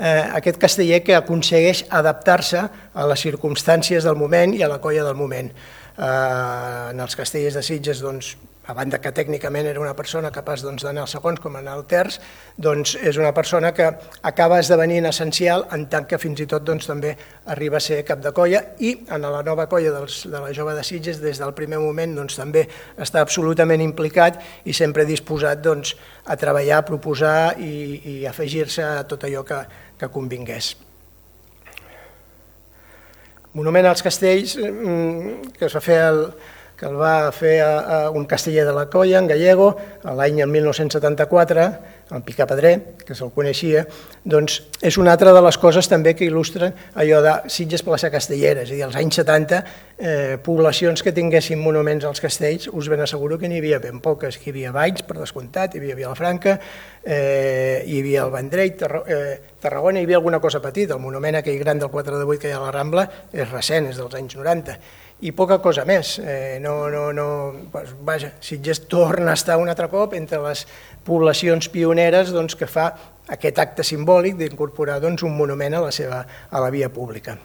eh, aquest casteller que aconsegueix adaptar-se a les circumstàncies del moment i a la colla del moment. Eh, en els castellers de Sitges, doncs, a banda que tècnicament era una persona capaç d'anar als segons com anar al terç, doncs és una persona que acaba esdevenint essencial en tant que fins i tot també arriba a ser cap de colla i en la nova colla de la jove de Sitges des del primer moment també està absolutament implicat i sempre disposat a treballar, a proposar i afegir-se a tot allò que convingués. Monument als castells que es va fer el que el va fer un casteller de la colla, en Gallego, l'any mil nou-cents setanta-quatre, el Picapedrer, que se'l coneixia, doncs és una altra de les coses també que il·lustren allò de Sitges plaça castellera, és a dir, als anys setanta, poblacions que tinguessin monuments als castells, us ben asseguro que n'hi havia ben poques, que hi havia Valls, per descomptat, hi havia Vilafranca, hi havia el Vendrell, Tarragona, hi havia alguna cosa petita, el monument aquell gran del quatre de vuit que hi ha a la Rambla és recent, és dels anys noranta, i poca cosa més. No, no, no, vaja, Sitges torna a estar un altre cop entre les poblacions pioneres que fa aquest acte simbòlic d'incorporar un monument a la seva a la via pública.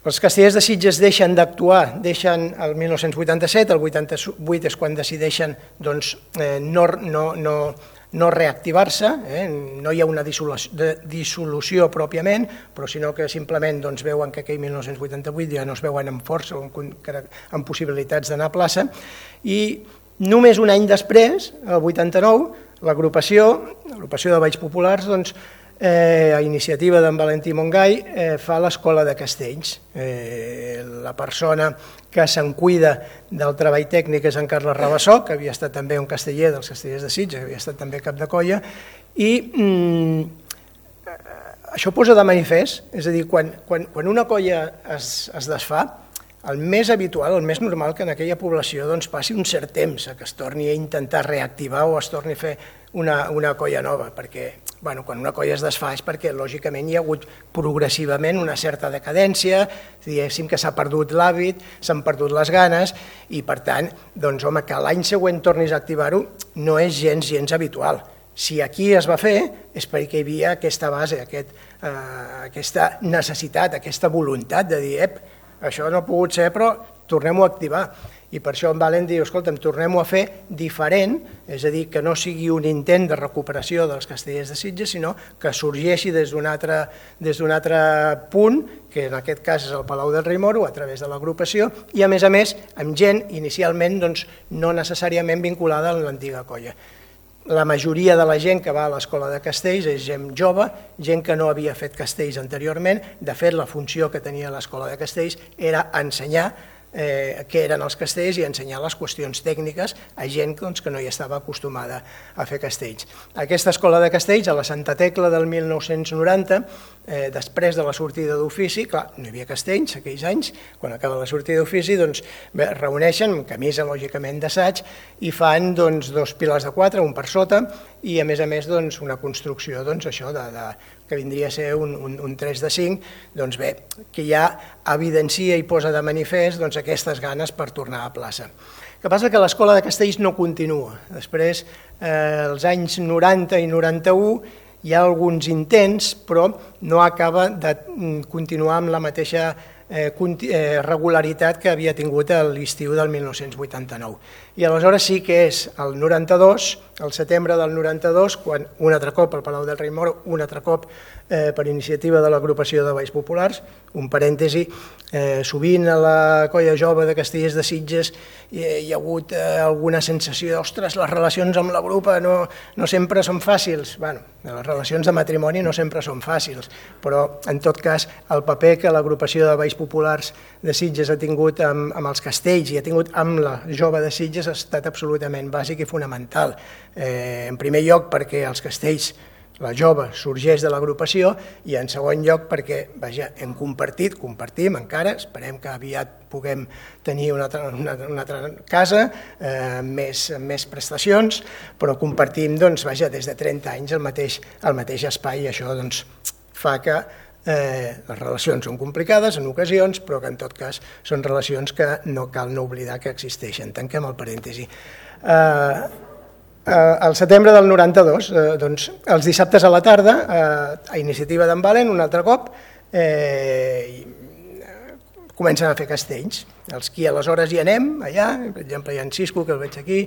Els castellers de Sitges deixen d'actuar, deixen el mil nou-cents vuitanta-set, el vuitanta-vuit és quan decideixen doncs, eh, no, no, no, no reactivar-se, eh? No hi ha una dissolució, de, dissolució pròpiament, però sinó que simplement doncs, veuen que aquell mil nou-cents vuitanta-vuit ja no es veuen amb força o amb, amb possibilitats d'anar a plaça, i només un any després, el vuitanta-nou, l'agrupació, l'agrupació de Balls Populars, doncs, Eh, a iniciativa d'en Valentí Montgai, eh, fa l'Escola de Castells. Eh, la persona que se'n cuida del treball tècnic és en Carles Rabassó, que havia estat també un casteller dels castellers de Sitges, que havia estat també cap de colla, i mm, això posa de manifest, és a dir, quan, quan, quan una colla es, es desfà, el més habitual, el més normal que en aquella població doncs, passi un cert temps a que es torni a intentar reactivar o es torni a fer una, una colla nova, perquè bueno, quan una colla es desfà és perquè lògicament hi ha hagut progressivament una certa decadència, diguéssim que s'ha perdut l'hàbit, s'han perdut les ganes i per tant, doncs home, que l'any següent tornis a activar-ho no és gens, gens habitual. Si aquí es va fer és perquè hi havia aquesta base, aquest, eh, aquesta necessitat, aquesta voluntat de dir, ep, això no ha pogut ser, però tornem-ho a activar. I per això en Valent diu, escolta'm, tornem-ho a fer diferent, és a dir, que no sigui un intent de recuperació dels castellers de Sitges, sinó que sorgeixi des d'un altre, des d'un altre punt, que en aquest cas és el Palau del Rei Moro, a través de l'agrupació, i a més a més amb gent inicialment doncs, no necessàriament vinculada a l'antiga colla. La majoria de la gent que va a l'Escola de Castells és gent jove, gent que no havia fet castells anteriorment. De fet, la funció que tenia l'Escola de Castells era ensenyar eh, què eren els castells i ensenyar les qüestions tècniques a gent doncs, que no hi estava acostumada a fer castells. Aquesta Escola de Castells, a la Santa Tecla del mil nou-cents noranta, eh, després de la sortida d'ofici, clar, no hi havia castells aquells anys, quan acaba la sortida d'ofici, doncs, bé, reuneixen, amb camisa lògicament d'assaig, i fan doncs, dos pilars de quatre, un per sota, i a més a més doncs, una construcció doncs, això de, de, que vindria a ser un, un, un tres de cinc, doncs bé, que ja evidencia i posa de manifest doncs, aquestes ganes per tornar a plaça. El que passa que l'Escola de Castells no continua. Després, eh, als anys noranta i noranta-u, hi ha alguns intents, però no acaba de continuar amb la mateixa eh, regularitat que havia tingut a l'estiu del mil nou-cents vuitanta-nou. I aleshores sí que és el noranta-dos, el setembre del noranta-dos, quan un altre cop al Palau del Rei Moro, un altre cop eh, per iniciativa de l'agrupació de Balls Populars, un parèntesi, eh, sovint a la colla jove de Castellers de Sitges hi, hi ha hagut eh, alguna sensació, ostres, les relacions amb la grupa no, no sempre són fàcils. Bueno, les relacions de matrimoni no sempre són fàcils, però en tot cas el paper que l'agrupació de Balls Populars de Sitges ha tingut amb, amb els castells i ha tingut amb la jove de Sitges ha estat absolutament bàsic i fonamental. Eh, en primer lloc perquè els castells, la jove, sorgeix de l'agrupació i en segon lloc perquè, vaja, hem compartit, compartim encara, esperem que aviat puguem tenir una altra, una, una altra casa, eh, més, més prestacions, però compartim, doncs, vaja, des de trenta anys el mateix, el mateix espai i això doncs, fa que Eh, les relacions són complicades en ocasions, però que en tot cas són relacions que no cal no oblidar que existeixen. Tanquem el parèntesi. Eh, eh, al setembre del noranta-dos, eh, doncs, els dissabtes a la tarda, eh, a iniciativa d'en Valen, un altre cop, eh, comencen a fer castells. Els qui aleshores hi anem, allà, per exemple hi ha en Cisco, que el veig aquí,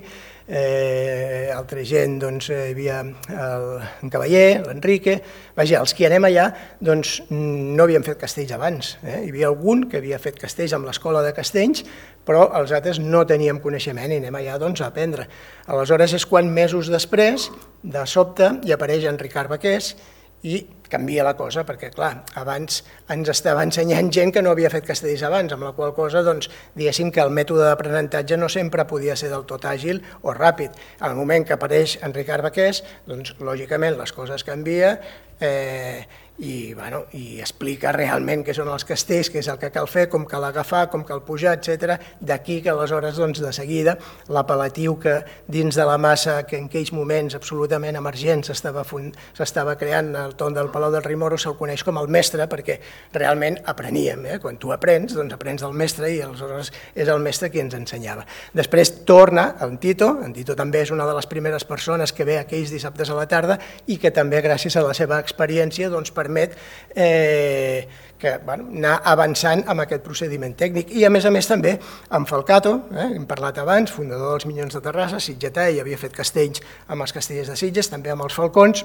eh, altra gent, doncs hi havia el, en Cavaller, l'Enrique, vaja, els qui anem allà, doncs no havien fet castells abans, eh? Hi havia algun que havia fet castells amb l'Escola de Castells, però els altres no teníem coneixement i anem allà doncs, a aprendre. Aleshores és quan mesos després, de sobte, hi apareix en Ricard Baqués i canvia la cosa, perquè clar, abans ens estava ensenyant gent que no havia fet castells abans, amb la qual cosa, doncs, diguéssim que el mètode d'aprenentatge no sempre podia ser del tot àgil o ràpid. Al moment que apareix en Ricard Baqués, doncs, lògicament, les coses canvien eh, i, bueno, i explica realment què són els castells, què és el que cal fer, com cal agafar, com cal pujar, etcètera. D'aquí que aleshores, doncs, de seguida, l'apel·latiu que dins de la massa que en aquells moments absolutament emergents s'estava creant al torn del Palau Palau del Rimoro se'l coneix com el mestre perquè realment apreníem. Eh? Quan tu aprens, doncs aprens del mestre i aleshores és el mestre qui ens ensenyava. Després torna en Tito, en Tito també és una de les primeres persones que ve aquells dissabtes a la tarda i que també gràcies a la seva experiència doncs, permet eh, que, bueno, anar avançant amb aquest procediment tècnic. I a més a més també amb Falcato, eh, hem parlat abans, fundador dels Minyons de Terrassa, sitgetà, i havia fet castells amb els castellers de Sitges, també amb els Falcons.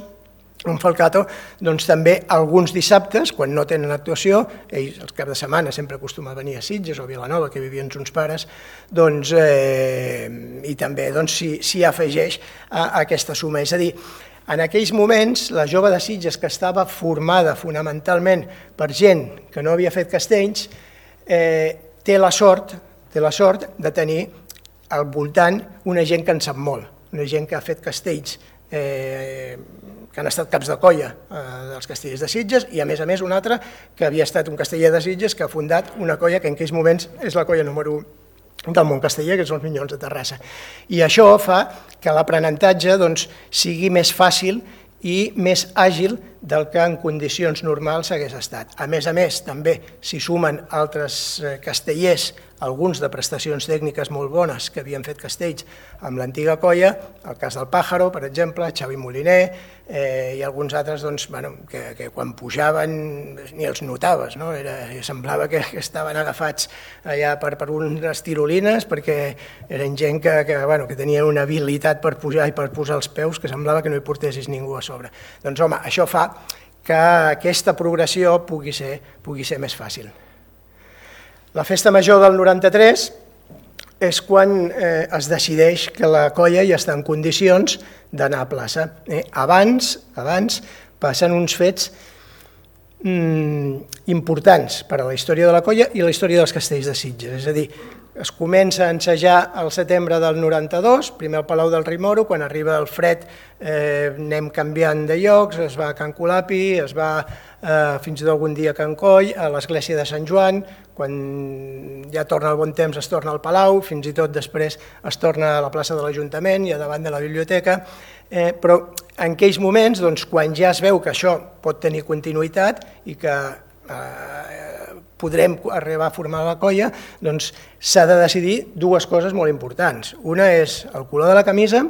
Un Falcato, doncs també alguns dissabtes, quan no tenen actuació, ells els caps de setmana sempre acostuma a venir a Sitges o a Vilanova, que vivien uns pares, doncs, eh, i també doncs, s'hi si afegeix a, a aquesta suma. És a dir, en aquells moments, la jove de Sitges, que estava formada fonamentalment per gent que no havia fet castells, eh, té la sort, té la sort de tenir al voltant una gent que en sap molt, una gent que ha fet castells, eh, que han estat caps de colla eh, dels castellers de Sitges, i a més a més un altre que havia estat un casteller de Sitges que ha fundat una colla que en aquells moments és la colla número u del món casteller, que són els Minyons de Terrassa. I això fa que l'aprenentatge doncs, sigui més fàcil i més àgil del que en condicions normals hagués estat. A més a més, també s'hi sumen altres castellers, alguns de prestacions tècniques molt bones que havien fet castells amb l'antiga colla, el cas del Pàjaro, per exemple, Xavi Moliner, eh, i alguns altres doncs, bueno, que, que quan pujaven ni els notaves, no? Era, semblava que estaven agafats allà per, per unes tirolines, perquè eren gent que, que, bueno, que tenien una habilitat per pujar i per posar els peus que semblava que no hi portessis ningú a sobre. Doncs home, això fa que aquesta progressió pugui ser, pugui ser més fàcil. La festa major del noranta-tres és quan eh, es decideix que la colla ja està en condicions d'anar a plaça. Eh? Abans, abans passen uns fets mm, importants per a la història de la colla i la història dels castells de Sitges. És a dir, es comença a ensejar al setembre del noranta-dos, primer al Palau del Rimoro, quan arriba el fred eh, anem canviant de llocs, es va a Can Colapi, es va eh, fins i tot algun dia a Can Coll, a l'església de Sant Joan, quan ja torna el bon temps es torna al Palau, fins i tot després es torna a la plaça de l'Ajuntament i a davant de la biblioteca, eh, però en aquells moments, doncs, quan ja es veu que això pot tenir continuïtat i que eh, podrem arribar a formar la colla, doncs s'ha de decidir dues coses molt importants. Una és el color de la camisa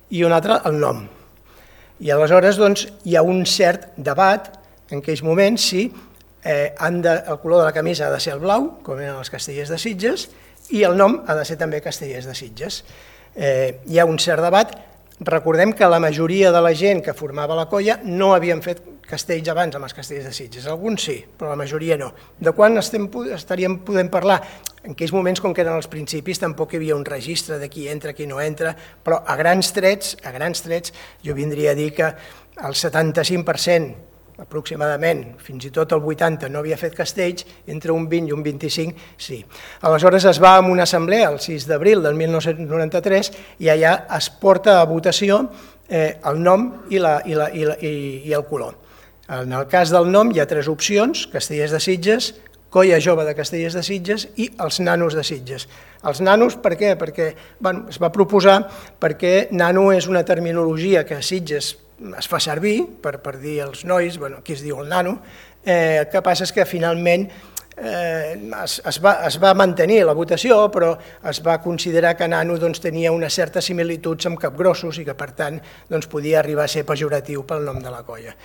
i una altra el nom. I aleshores doncs, hi ha un cert debat en aquells moments si eh, han de, el color de la camisa ha de ser el blau, com eren els castellers de Sitges, i el nom ha de ser també castellers de Sitges. Eh, hi ha un cert debat. Recordem que la majoria de la gent que formava la colla no havien fet castells abans amb els castellers de Sitges. Alguns sí, però la majoria no. De quan estem, estaríem podent parlar? En aquells moments, com que eren els principis, tampoc hi havia un registre de qui entra, qui no entra, però a grans trets, a grans trets, jo vindria a dir que el setanta-cinc per cent aproximadament, fins i tot el vuitanta no havia fet castells, entre un vint i un vint-i-cinc sí. Aleshores es va a una assemblea el sis d'abril del mil nou-cents noranta-tres i allà es porta a votació eh, el nom i, la, i, la, i, la, i, i el color. En el cas del nom hi ha tres opcions: Castellers de Sitges, Colla Jove de Castellers de Sitges i els Nanos de Sitges. Els nanos, per què? Perquè bueno, es va proposar perquè nano és una terminologia que a Sitges es fa servir per, per dir els nois, bueno, aquí es diu el nano, eh, el que passa és que finalment eh, es, es, va, es va mantenir la votació, però es va considerar que nano doncs, tenia unes certes similituds amb capgrossos i que per tant doncs, podia arribar a ser pejoratiu pel nom de la colla.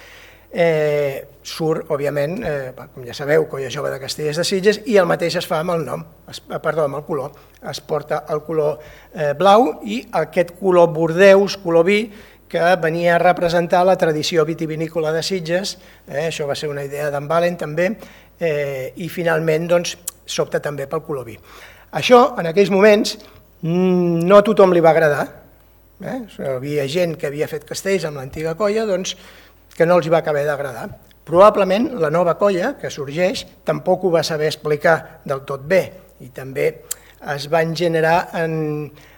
Eh, surt, òbviament, eh, com ja sabeu, Colla Jove de Castellers de Sitges, i el mateix es fa amb el nom, es, perdó, amb el color. Es porta el color eh, blau i aquest color bordeus, color vi, que venia a representar la tradició vitivinícola de Sitges, eh, això va ser una idea d'en Valen també, eh, i finalment doncs, s'opta també pel color vi. Això, en aquells moments, no a tothom li va agradar. Eh? Hi havia gent que havia fet castells amb l'antiga colla, doncs, que no els va acabar d'agradar. Probablement la nova colla que sorgeix tampoc ho va saber explicar del tot bé i també es van generar en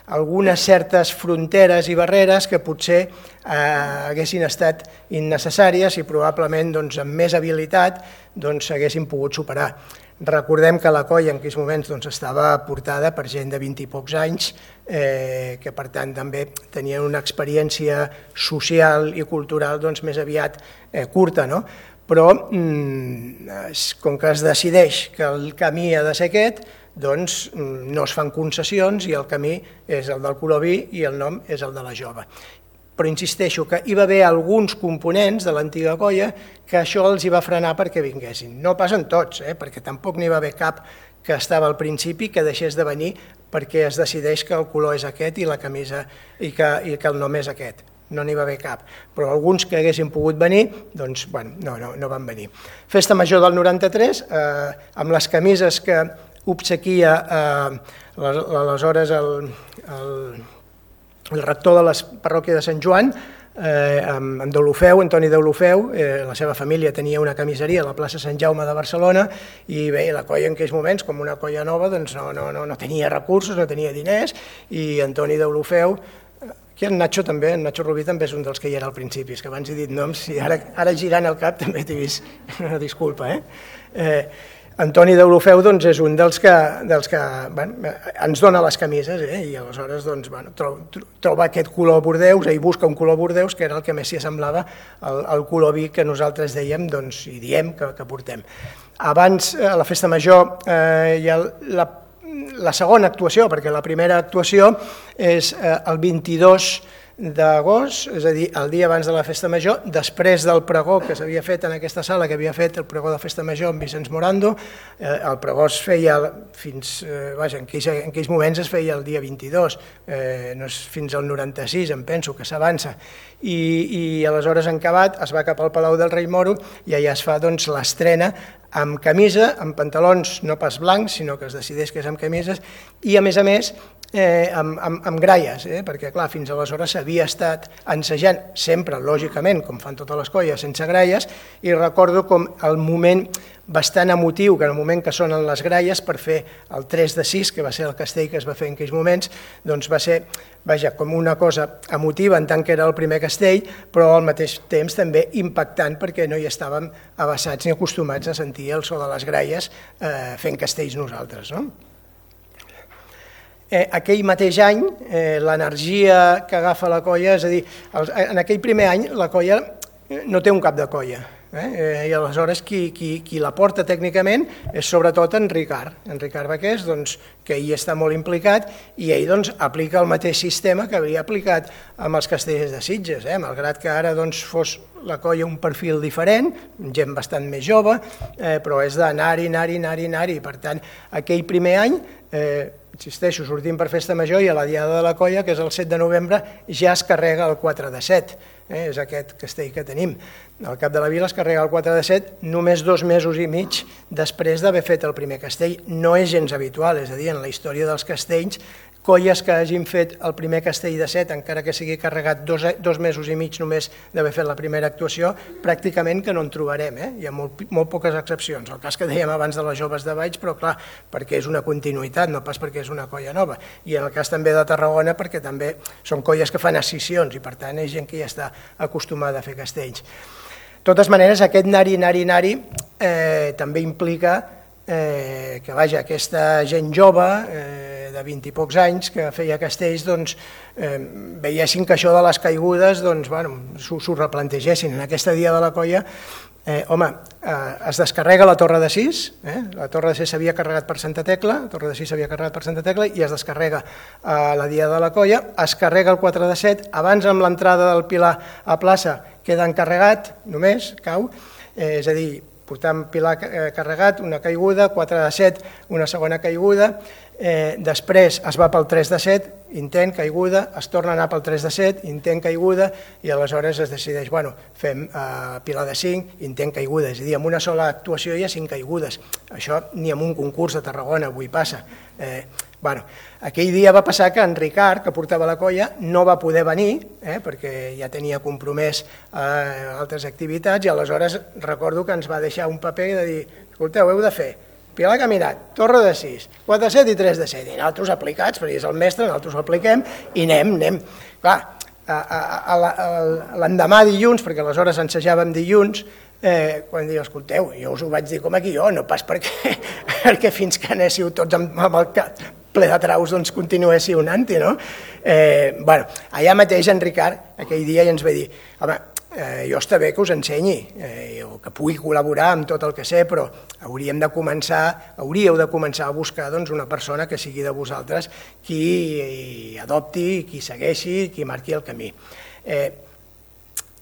algunes certes fronteres i barreres que potser eh, haguessin estat innecessàries i probablement doncs, amb més habilitat doncs, s'haguessin pogut superar. Recordem que la colla en aquells moments doncs, estava portada per gent de vint i pocs anys, eh, que per tant també tenien una experiència social i cultural doncs, més aviat eh, curta, no? Però mm, com que es decideix que el camí ha de ser aquest, doncs no es fan concessions i el camí és el del color vi i el nom és el de la jove. Però insisteixo que hi va haver alguns components de l'antiga colla que això els hi va frenar perquè vinguessin. No passen tots, eh? Perquè tampoc n'hi va haver cap que estava al principi que deixés de venir perquè es decideix que el color és aquest i la camisa i que, i que el nom és aquest. No n'hi va haver cap, però alguns que haguessin pogut venir, doncs, bueno, no, no, no van venir. Festa Major del noranta-tres, eh, amb les camises que obsequia eh, aleshores el, el, el rector de la parròquia de Sant Joan, eh, en Deulofeu, Antoni Deulofeu, eh, la seva família tenia una camiseria a la plaça Sant Jaume de Barcelona i bé, la colla en aquells moments, com una colla nova, doncs no, no, no, no tenia recursos, no tenia diners i Antoni Deulofeu, aquí en Nacho també, en Nacho Rubí també és un dels que hi era al principi, és que abans he dit noms i ara, ara girant el cap també t'he vist, una disculpa, eh? eh Antoni Deulofeu doncs, és un dels que, dels que bueno, ens dona les camises eh? I aleshores doncs, bueno, troba, troba aquest color bordeus, ell busca un color bordeus que era el que més s'hi assemblava al, al color vi que nosaltres dèiem doncs, i diem que, que portem. Abans, a la Festa Major, eh, hi ha la, la segona actuació, perquè la primera actuació és eh, el vint-i-dos d'agost, és a dir, el dia abans de la Festa Major, després del pregó que s'havia fet en aquesta sala, que havia fet el pregó de Festa Major amb Vicenç Morando, eh, el pregó es feia fins, eh, vaja, en aquells, en aquells moments es feia el dia vint-i-dos, eh, no és fins al noranta-sis, em penso, que s'avança, i, i aleshores en acabat es va cap al Palau del Rei Moro i allà es fa doncs, l'estrena amb camisa, amb pantalons no pas blancs, sinó que es decideix que és amb camises, i a més a més Eh, amb, amb, amb gralles, eh? Perquè clar, fins aleshores s'havia estat ensejant, sempre, lògicament, com fan totes les colles, sense gralles, i recordo com el moment bastant emotiu, que en el moment que sonen les gralles per fer el tres de sis, que va ser el castell que es va fer en aquells moments, doncs va ser, vaja, com una cosa emotiva en tant que era el primer castell, però al mateix temps també impactant perquè no hi estàvem avasats ni acostumats a sentir el so de les gralles eh, fent castells nosaltres, no? Eh, aquell mateix any, eh, l'energia que agafa la colla, és a dir, els, en aquell primer any la colla no té un cap de colla, eh? Eh, i aleshores qui, qui, qui la porta tècnicament és sobretot en Ricard, en Ricard Baqués, doncs, que hi està molt implicat i ell doncs, aplica el mateix sistema que havia aplicat amb els castellers de Sitges, eh? Malgrat que ara doncs, fos la colla un perfil diferent, gent bastant més jove, eh, però és d'anar-hi, anar-hi, anar-hi, anar-hi, per tant, aquell primer any, eh, insisteixo, sortim per Festa Major i a la Diada de la Colla, que és el set de novembre, ja es carrega el quatre de set, eh? És aquest castell que tenim. Al Cap de la Vila es carrega el quatre de set només dos mesos i mig després d'haver fet el primer castell. No és gens habitual, és a dir, en la història dels castells, colles que hagin fet el primer castell de set, encara que sigui carregat dos, dos mesos i mig només d'haver fet la primera actuació, pràcticament que no en trobarem, eh? Hi ha molt, molt poques excepcions. El cas que dèiem abans de les joves de Valls, però clar, perquè és una continuïtat, no pas perquè és una colla nova. I en el cas també de Tarragona, perquè també són colles que fan escissions i per tant és gent que ja està acostumada a fer castells. De totes maneres, aquest anar-hi, anar-hi, anar-hi eh, també implica eh, que vaja, aquesta gent jove, eh, de vint i pocs anys, que feia castells, doncs, eh, veiessin que això de les caigudes doncs, bueno, s'ho replantegessin. En aquesta dia de la colla, eh, home, eh, es descarrega la Torre de Sis, eh? La Torre de Sis s'havia carregat per Santa Tecla, la Torre de Sis s'havia carregat per Santa Tecla i es descarrega a la dia de la colla, es carrega el quatre de set, abans amb l'entrada del Pilar a plaça queda encarregat, només, cau, eh, és a dir, portant Pilar carregat, una caiguda, quatre de set, una segona caiguda, eh, després es va pel tres de set, intent, caiguda, es torna a anar pel tres de set, intent, caiguda, i aleshores es decideix, bueno, fem eh, Pilar de cinc, intent, caiguda, és a dir, amb una sola actuació hi ha cinc caigudes. Això ni en un concurs a Tarragona avui passa. Eh, bueno, aquell dia va passar que en Ricard, que portava la colla, no va poder venir, eh, perquè ja tenia compromès eh, altres activitats, i aleshores recordo que ens va deixar un paper de dir, escolteu, heu de fer Pilar Caminat, Torre de sis, quatre de set i tres de set, i nosaltres aplicats, perquè és el mestre, nosaltres ho apliquem, i anem, anem. Clar, l'endemà dilluns, perquè aleshores ensejàvem dilluns, eh, quan diu, escolteu, jo us ho vaig dir com a guió, no pas perquè, perquè fins que anéssiu tots amb, amb el cap ple de traus, doncs continuéssiu anant-hi, no? Eh, bueno, allà mateix en Ricard, aquell dia, ja ens va dir, home, eh, jo està bé que us ensenyi, eh, o que pugui col·laborar amb tot el que sé, però hauríem de començar, hauríeu de començar a buscar doncs, una persona que sigui de vosaltres qui adopti, qui segueixi, qui marqui el camí. Eh,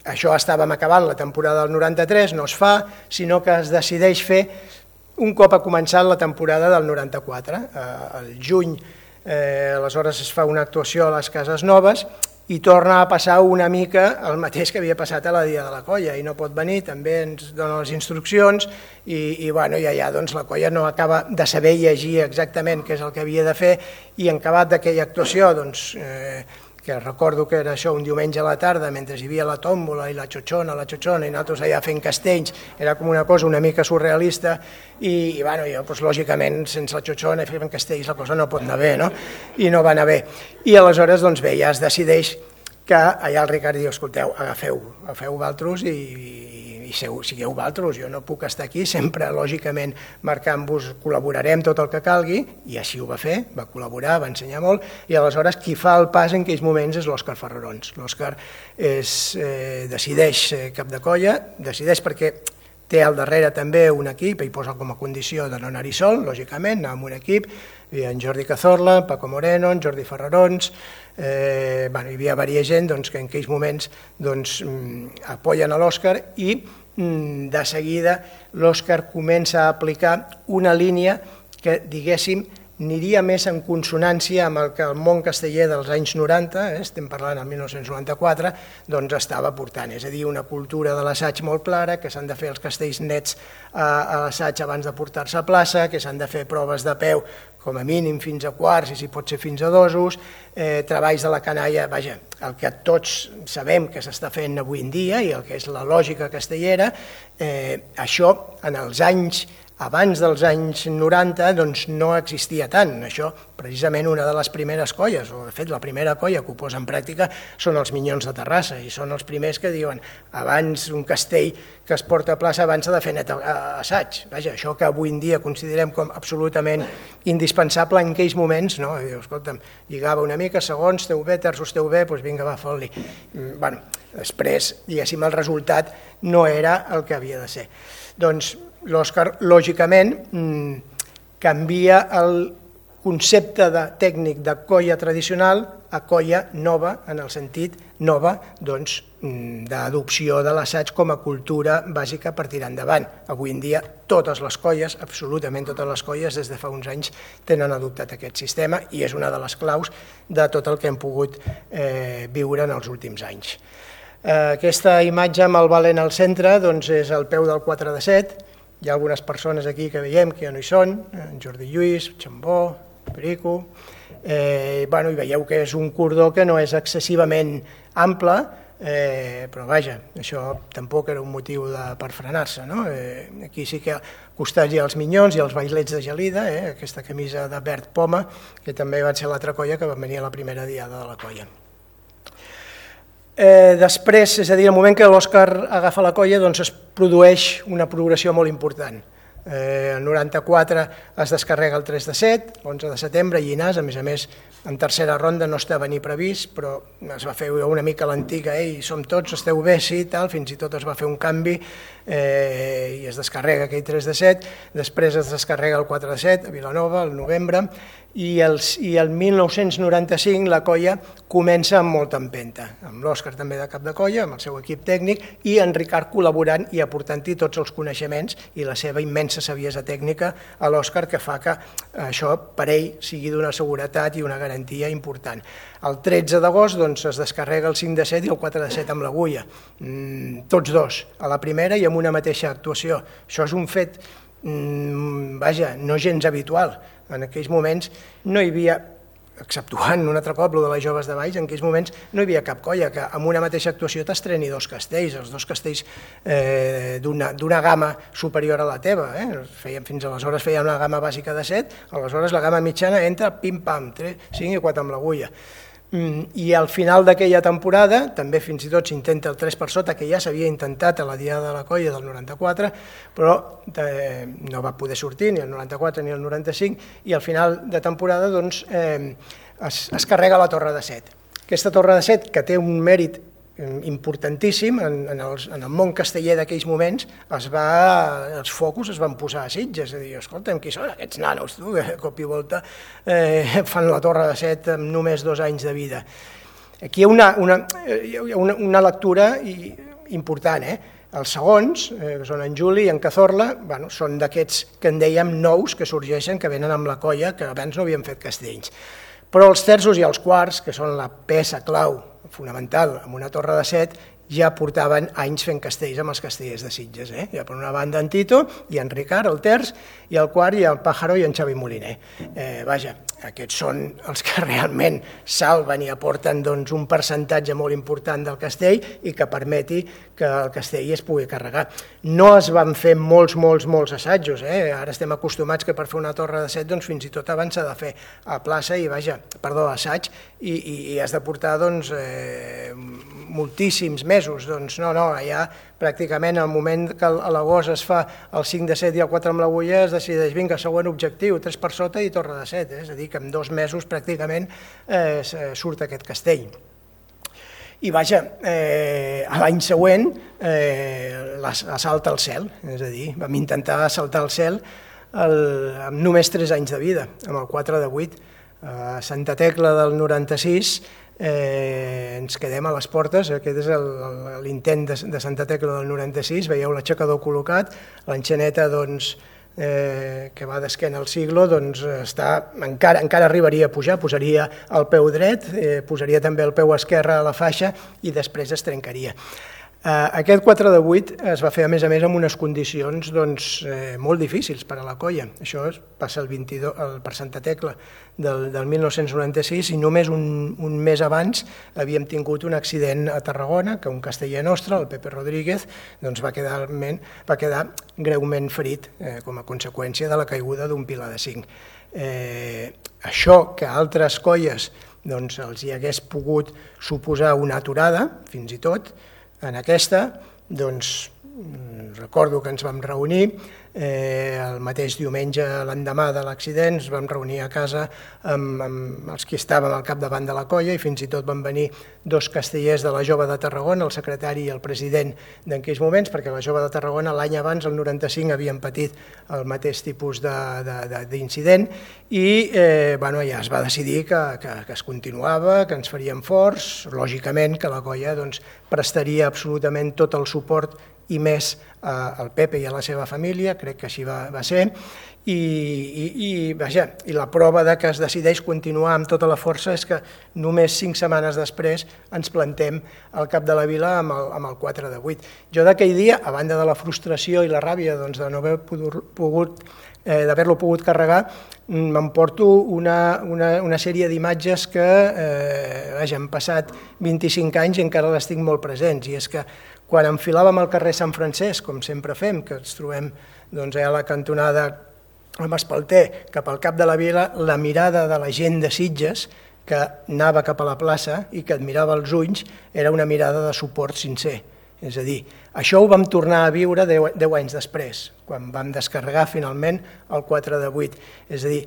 això estàvem acabant la temporada del noranta-tres, no es fa, sinó que es decideix fer un cop ha començat la temporada del noranta-quatre. Eh, el juny, eh, aleshores es fa una actuació a les Cases Noves i torna a passar una mica el mateix que havia passat a la Dia de la Colla, i no pot venir, també ens dona les instruccions i, i, bueno, i allà doncs, la colla no acaba de saber llegir exactament què és el que havia de fer, i en acabat d'aquella actuació, doncs, eh, que recordo que era això un diumenge a la tarda, mentre hi havia la tòmbola i la xoxona, la xoxona, i nosaltres allà fent castells, era com una cosa una mica surrealista, i, i bueno, jo, doncs, lògicament, sense la xoxona i fent castells la cosa no pot anar bé, no? I no va anar bé. I aleshores, doncs bé, ja es decideix que allà el Ricard diu, escolteu, agafeu, agafeu valtros i, i sigueu valtros, jo no puc estar aquí, sempre, lògicament, marcant-vos, col·laborarem tot el que calgui, i així ho va fer, va col·laborar, va ensenyar molt, i aleshores qui fa el pas en aquells moments és l'Òscar Ferrarons. L'Òscar eh, decideix ser cap de colla, decideix perquè té al darrere també un equip, i posa com a condició de no anar-hi sol, lògicament, anar amb un equip, hi havia en Jordi Cazorla, en Paco Moreno, en Jordi Ferrarons, eh, bueno, hi havia diversa gent doncs, que en aquells moments doncs, apoyen a l'Òscar, i mm, de seguida l'Òscar comença a aplicar una línia que, diguéssim, aniria més en consonància amb el que el món casteller dels anys noranta, eh, estem parlant del mil nou-cents noranta-quatre, doncs estava portant, és a dir, una cultura de l'assaig molt clara, que s'han de fer els castells nets a, a l'assaig abans de portar-se a plaça, que s'han de fer proves de peu com a mínim fins a quarts i si pot ser fins a dosos, eh, treballs de la canalla, vaja, el que tots sabem que s'està fent avui en dia i el que és la lògica castellera, eh, això en els anys abans dels anys noranta doncs no existia tant. Això, precisament, una de les primeres colles, o de fet la primera colla que ho posa en pràctica són els Minyons de Terrassa, i són els primers que diuen abans un castell que es porta a plaça abans s'ha de fer net assaig. Vaja, això que avui en dia considerem com absolutament indispensable en aquells moments, no? Diu, escolta'm, lligava una mica, segons, esteu bé, terços, esteu bé, doncs vinga, va, fot-li. Bueno, després, diguéssim, el resultat no era el que havia de ser. Doncs l'Òscar, lògicament, canvia el concepte de tècnic de colla tradicional a colla nova, en el sentit nova doncs, d'adopció de l'assaig com a cultura bàsica per tirar endavant. Avui en dia totes les colles, absolutament totes les colles, des de fa uns anys tenen adoptat aquest sistema i és una de les claus de tot el que hem pogut eh, viure en els últims anys. Eh, aquesta imatge amb el Valent al centre doncs, és el peu del quatre de set. Hi ha algunes persones aquí que veiem que ja no hi són, en Jordi Lluís, Xambó, Perico, eh, bueno, i veieu que és un cordó que no és excessivament ample, eh, però vaja, això tampoc era un motiu de, per frenar-se, no? Eh, aquí sí que costats hi ha els Minyons i els Bailets de Gelida, eh, aquesta camisa de verd poma, que també va ser l'altra colla que va venir a la primera diada de la colla. Eh, després, és a dir, el moment que l'Òscar agafa la colla, doncs es produeix una progressió molt important. Eh, el noranta-quatre es descarrega el tres de set, l'onze de setembre, Llinars, a més a més, en tercera ronda no estava ni previst, però es va fer una mica l'antiga, ei, som tots, esteu bé, sí, tal, fins i tot es va fer un canvi eh, i es descarrega aquell tres de set, després es descarrega el quatre de set a Vilanova, al novembre, i el, i el mil nou-cents noranta-cinc la colla comença amb molta empenta, amb l'Òscar també de cap de colla, amb el seu equip tècnic, i en Ricard col·laborant i aportant-hi tots els coneixements i la seva immensa saviesa tècnica a l'Òscar, que fa que això per ell sigui d'una seguretat i una garantia important. El tretze d'agost doncs, es descarrega el cinc de set i el quatre de set amb l'agulla, mm, tots dos, a la primera i amb una mateixa actuació. Això és un fet, mm, vaja, no gens habitual. En aquells moments no hi havia, exceptuant un altre cop, el de les Joves de Valls, en aquells moments no hi havia cap colla que amb una mateixa actuació t'estreni dos castells, els dos castells eh, d'una gamma superior a la teva. Eh? Feien, fins aleshores feien una gamma bàsica de set, aleshores la gamma mitjana entra pim-pam, cinc i quatre amb l'agulla. I al final d'aquella temporada, també fins i tot s'intenta el tres per sota, que ja s'havia intentat a la Diada de la Colla del noranta-quatre, però eh, no va poder sortir ni el noranta-quatre ni el noranta-cinc, i al final de temporada doncs, eh, es, es carrega la Torre de Set. Aquesta Torre de Set, que té un mèrit importantíssim en, en, els, en el món casteller d'aquells moments, es va, els focus es van posar a Sitges, és a dir, escolta'm, qui són aquests nanos, tu, que a cop i volta eh, fan la Torre de Set amb només dos anys de vida. Aquí hi ha una, una, una, una lectura important, eh? Els segons, eh, que són en Juli i en Cazorla, bueno, són d'aquests que en dèiem nous que sorgeixen, que venen amb la colla, que abans no havien fet castells. Però els terços i els quarts, que són la peça clau fonamental amb una Torre de Set, ja portaven anys fent castells amb els castellers de Sitges. Eh? Ja per una banda en Tito i en Ricard, el terç, i el quart i el Pájaro i en Xavi Moliner. Eh, vaja, aquests són els que realment salven i aporten doncs, un percentatge molt important del castell i que permeti que el castell es pugui carregar. No es van fer molts, molts, molts assajos. Eh? Ara estem acostumats que per fer una Torre de Set doncs, fins i tot abans s'ha de fer a plaça i, vaja, perdó, assaig, i, i, i has de portar doncs, eh, moltíssims mesos. Doncs no, no, allà pràcticament al moment que a l'agost es fa el cinc de set i el quatre amb l'agulla es decideix, vinga, següent objectiu, tres per sota i Torre de Set, eh? És a dir, que en dos mesos pràcticament eh, surt aquest castell. I vaja, eh, l'any següent eh, assalta el cel, és a dir, vam intentar assaltar el cel el, amb només tres anys de vida, amb el quatre de vuit. A Santa Tecla del noranta-sis eh, ens quedem a les portes, aquest és l'intent de, de Santa Tecla del noranta-sis, veieu l'aixecador col·locat, l'enxaneta doncs, eh, que va d'esquena al siglo, doncs està, encara, encara arribaria a pujar, posaria el peu dret, eh, posaria també el peu esquerre a la faixa i després es trencaria. Aquest quatre de vuit es va fer, a més a més, amb unes condicions doncs, eh, molt difícils per a la colla. Això passa el vint-i-dos, el, per Santa Tecla del, del mil nou-cents noranta-sis i només un, un mes abans havíem tingut un accident a Tarragona, que un casteller nostre, el Pepe Rodríguez, doncs va, quedar, va quedar greument ferit eh, com a conseqüència de la caiguda d'un pilar de cinc. Eh, això que a altres colles doncs, els hi hagués pogut suposar una aturada, fins i tot, en aquesta, doncs, recordo que ens vam reunir, eh, el mateix diumenge, l'endemà de l'accident, ens vam reunir a casa amb, amb els que estàvem al capdavant de la colla i fins i tot van venir dos castellers de la Jove de Tarragona, el secretari i el president d'aquells moments, perquè la Jove de Tarragona l'any abans, el noranta-cinc, havien patit el mateix tipus d'incident i eh, bueno, ja es va decidir que, que, que es continuava, que ens faríem forts, lògicament que la colla doncs, prestaria absolutament tot el suport i més al Pepe i a la seva família, crec que així va, va ser, i, i, i, vaja, i la prova de que es decideix continuar amb tota la força és que només cinc setmanes després ens plantem al cap de la vila amb el, amb el quatre de vuit. Jo d'aquell dia, a banda de la frustració i la ràbia doncs, de no haver pogut eh, d'haver-lo pogut carregar, m'emporto una, una, una sèrie d'imatges que eh, vaja, han passat vint-i-cinc anys i encara les tinc molt presents, i és que quan enfilàvem al carrer Sant Francesc, com sempre fem, que ens trobem doncs, a la cantonada amb Espalter, cap al cap de la vila, la mirada de la gent de Sitges, que anava cap a la plaça i que admirava els ulls, era una mirada de suport sincer. És a dir, això ho vam tornar a viure deu, deu anys després, quan vam descarregar finalment el quatre de vuit. És a dir,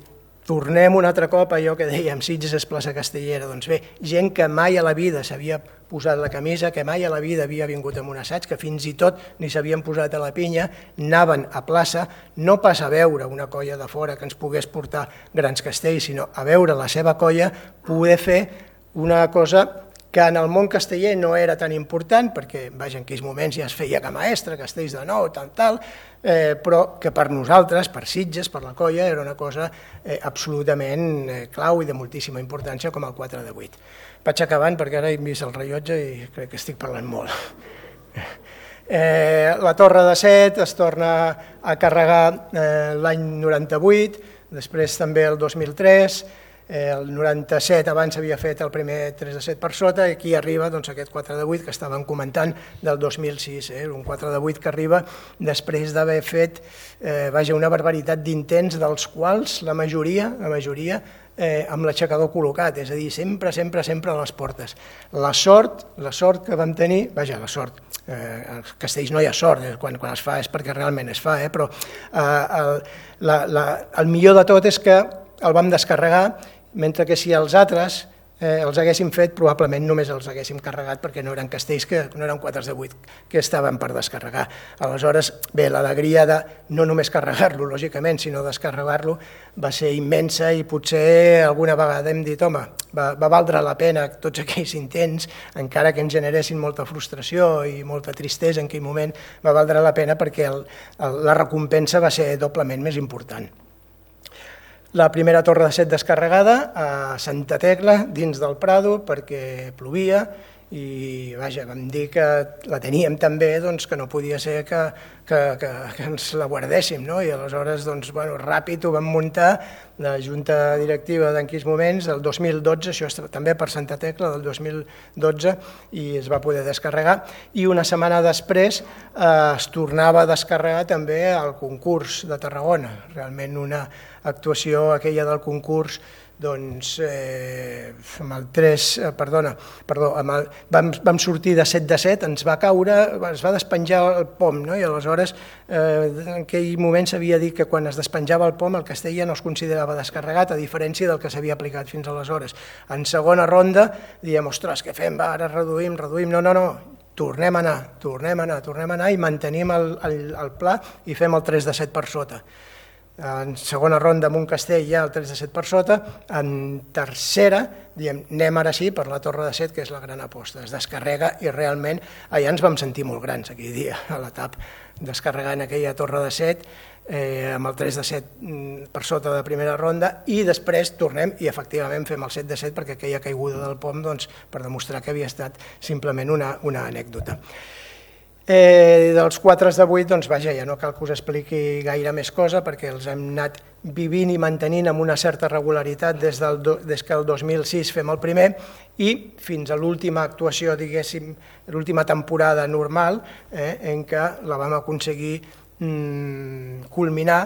tornem un altre cop a allò que dèiem, Sitges és plaça castellera. Doncs bé, gent que mai a la vida s'havia posat la camisa, que mai a la vida havia vingut amb un assaig, que fins i tot ni s'havien posat a la pinya, anaven a plaça, no pas a veure una colla de fora que ens pogués portar grans castells, sinó a veure la seva colla poder fer una cosa que en el món casteller no era tan important, perquè vaja, en aquells moments ja es feia que maestre, castells de nou, tal, tal, eh, però que per nosaltres, per Sitges, per la colla, era una cosa eh, absolutament eh, clau i de moltíssima importància com el quatre de vuit. Vaig acabant perquè ara he vist el rellotge i crec que estic parlant molt. Eh, la Torre de Set es torna a carregar eh, l'any noranta-vuit, després també el dos mil tres, el noranta-set abans havia fet el primer tres de set per sota i aquí arriba doncs, aquest quatre de vuit que estàvem comentant del dos mil sis, eh? un quatre de vuit que arriba després d'haver fet eh, vaja, una barbaritat d'intents dels quals la majoria, la majoria eh, amb l'aixecador col·locat, és a dir, sempre, sempre, sempre a les portes. La sort, la sort que vam tenir, vaja, la sort, eh, als castells no hi ha sort, eh, quan, quan es fa és perquè realment es fa, eh, però eh, el, la, la, el millor de tot és que el vam descarregar, mentre que si els altres eh, els haguéssim fet, probablement només els haguéssim carregat perquè no eren castells, que no eren quatre de vuit que estaven per descarregar. Aleshores, bé, l'alegria de no només carregar-lo, lògicament, sinó descarregar-lo va ser immensa i potser alguna vegada hem dit, home, va, va valdre la pena tots aquells intents, encara que ens generessin molta frustració i molta tristesa en aquell moment, va valdre la pena perquè el, el, la recompensa va ser doblement més important. La primera torre de set descarregada a Santa Tecla, dins del Prado, perquè plovia i vaja, vam dir que la teníem tan bé doncs, que no podia ser que, que, que, que ens la guardéssim, no? I aleshores doncs, bueno, ràpid ho vam muntar, la Junta Directiva d'en aquells moments, el dos mil dotze, això està també per Santa Tecla, del dos mil dotze, i es va poder descarregar, i una setmana després eh, es tornava a descarregar també el concurs de Tarragona, realment una actuació aquella del concurs, doncs eh, amb el tres, eh, perdona, perdó, amb el, vam, vam sortir de set de set, ens va caure, es va despenjar el pom, no? I aleshores eh, en aquell moment s'havia dit que quan es despenjava el pom el castell ja no es considerava descarregat, a diferència del que s'havia aplicat fins aleshores. En segona ronda diem, ostres, què fem? Va, ara reduïm, reduïm, no, no, no, tornem a anar, tornem a anar, tornem a anar i mantenim el, el, el pla i fem el tres de set per sota. En segona ronda amb un castell ja el tres de set per sota, en tercera diem, anem ara sí per la torre de set, que és la gran aposta, es descarrega i realment allà ens vam sentir molt grans aquell dia, a l'etap, descarregant aquella torre de set eh, amb el tres de set per sota de primera ronda i després tornem i efectivament fem el set de set perquè aquella caiguda del pom doncs, per demostrar que havia estat simplement una, una anècdota. Eh, dels quatre de vuit, doncs vaja, ja no cal que us expliqui gaire més cosa perquè els hem anat vivint i mantenint amb una certa regularitat des, del do, des que el dos mil sis fem el primer i fins a l'última actuació, diguéssim, l'última temporada normal, eh, en què la vam aconseguir mm, culminar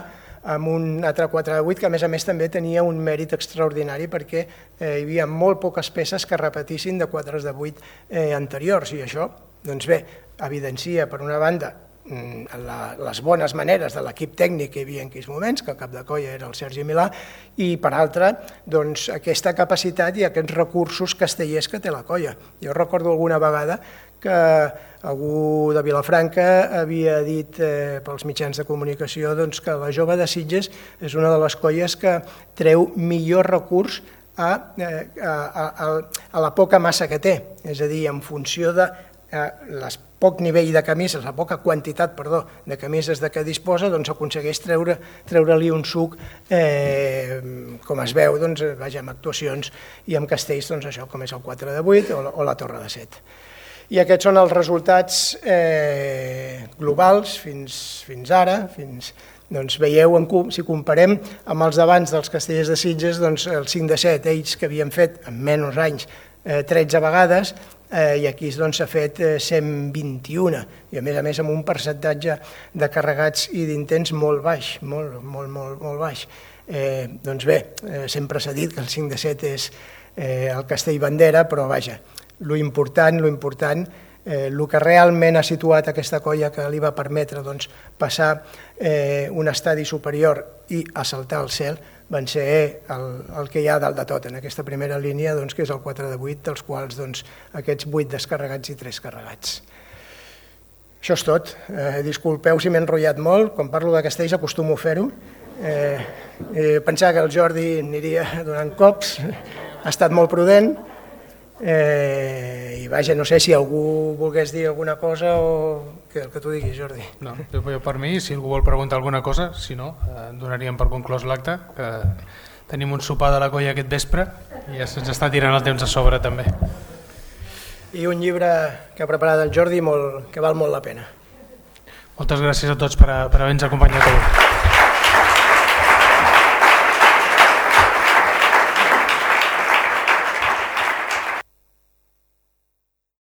amb un altre quatre de vuit que a més a més també tenia un mèrit extraordinari perquè eh, hi havia molt poques peces que repetissin de quatre de vuit eh, anteriors i això, doncs bé, evidencia per una banda la, les bones maneres de l'equip tècnic que hi havia en aquells moments, que el cap de colla era el Sergi Milà, i per altra doncs, aquesta capacitat i aquests recursos castellers que té la colla. Jo recordo alguna vegada que algú de Vilafranca havia dit eh, pels mitjans de comunicació doncs, que la Jove de Sitges és una de les colles que treu millor recurs a, a, a, a la poca massa que té, és a dir, en funció de el poc nivell de camises, la poca quantitat, perdó, de camises de què disposa, doncs aconsegueix treure, treure-li un suc, eh, com es veu, doncs, vaja, amb actuacions i amb castells, doncs això, com és el quatre de vuit o la, o la torre de set. I aquests són els resultats eh, globals fins, fins ara, fins, doncs veieu, si comparem amb els d'abans dels castellers de Sitges, doncs el cinc de set, ells que havien fet en menys anys eh, tretze vegades, eh, i aquí doncs, s'ha fet eh, cent vint-i-una, i a més a més amb un percentatge de carregats i d'intents molt baix, molt, molt, molt, molt baix. Eh, doncs bé, eh, sempre s'ha dit que el cinc de set és eh, el castell bandera, però vaja, lo important, lo important, eh, el que realment ha situat aquesta colla que li va permetre doncs, passar eh, un estadi superior i assaltar el cel, van ser el, el que hi ha dalt de tot en aquesta primera línia, doncs, que és el quatre de vuit, dels quals doncs, aquests vuit descarregats i tres carregats. Això és tot. Eh, disculpeu si m'he enrotllat molt, quan parlo de castells acostumo a fer-ho. Eh, eh, pensava que el Jordi aniria donant cops, ha estat molt prudent, eh, i vaja, no sé si algú volgués dir alguna cosa o que el que tu diguis, Jordi. No, jo per mi, si algú vol preguntar alguna cosa, si no, eh, donaríem per conclòs l'acte, que tenim un sopar de la colla aquest vespre i ja se'ns està tirant el temps a sobre també. I un llibre que ha preparat el Jordi molt, que val molt la pena. Moltes gràcies a tots per, per haver-nos acompanyat avui.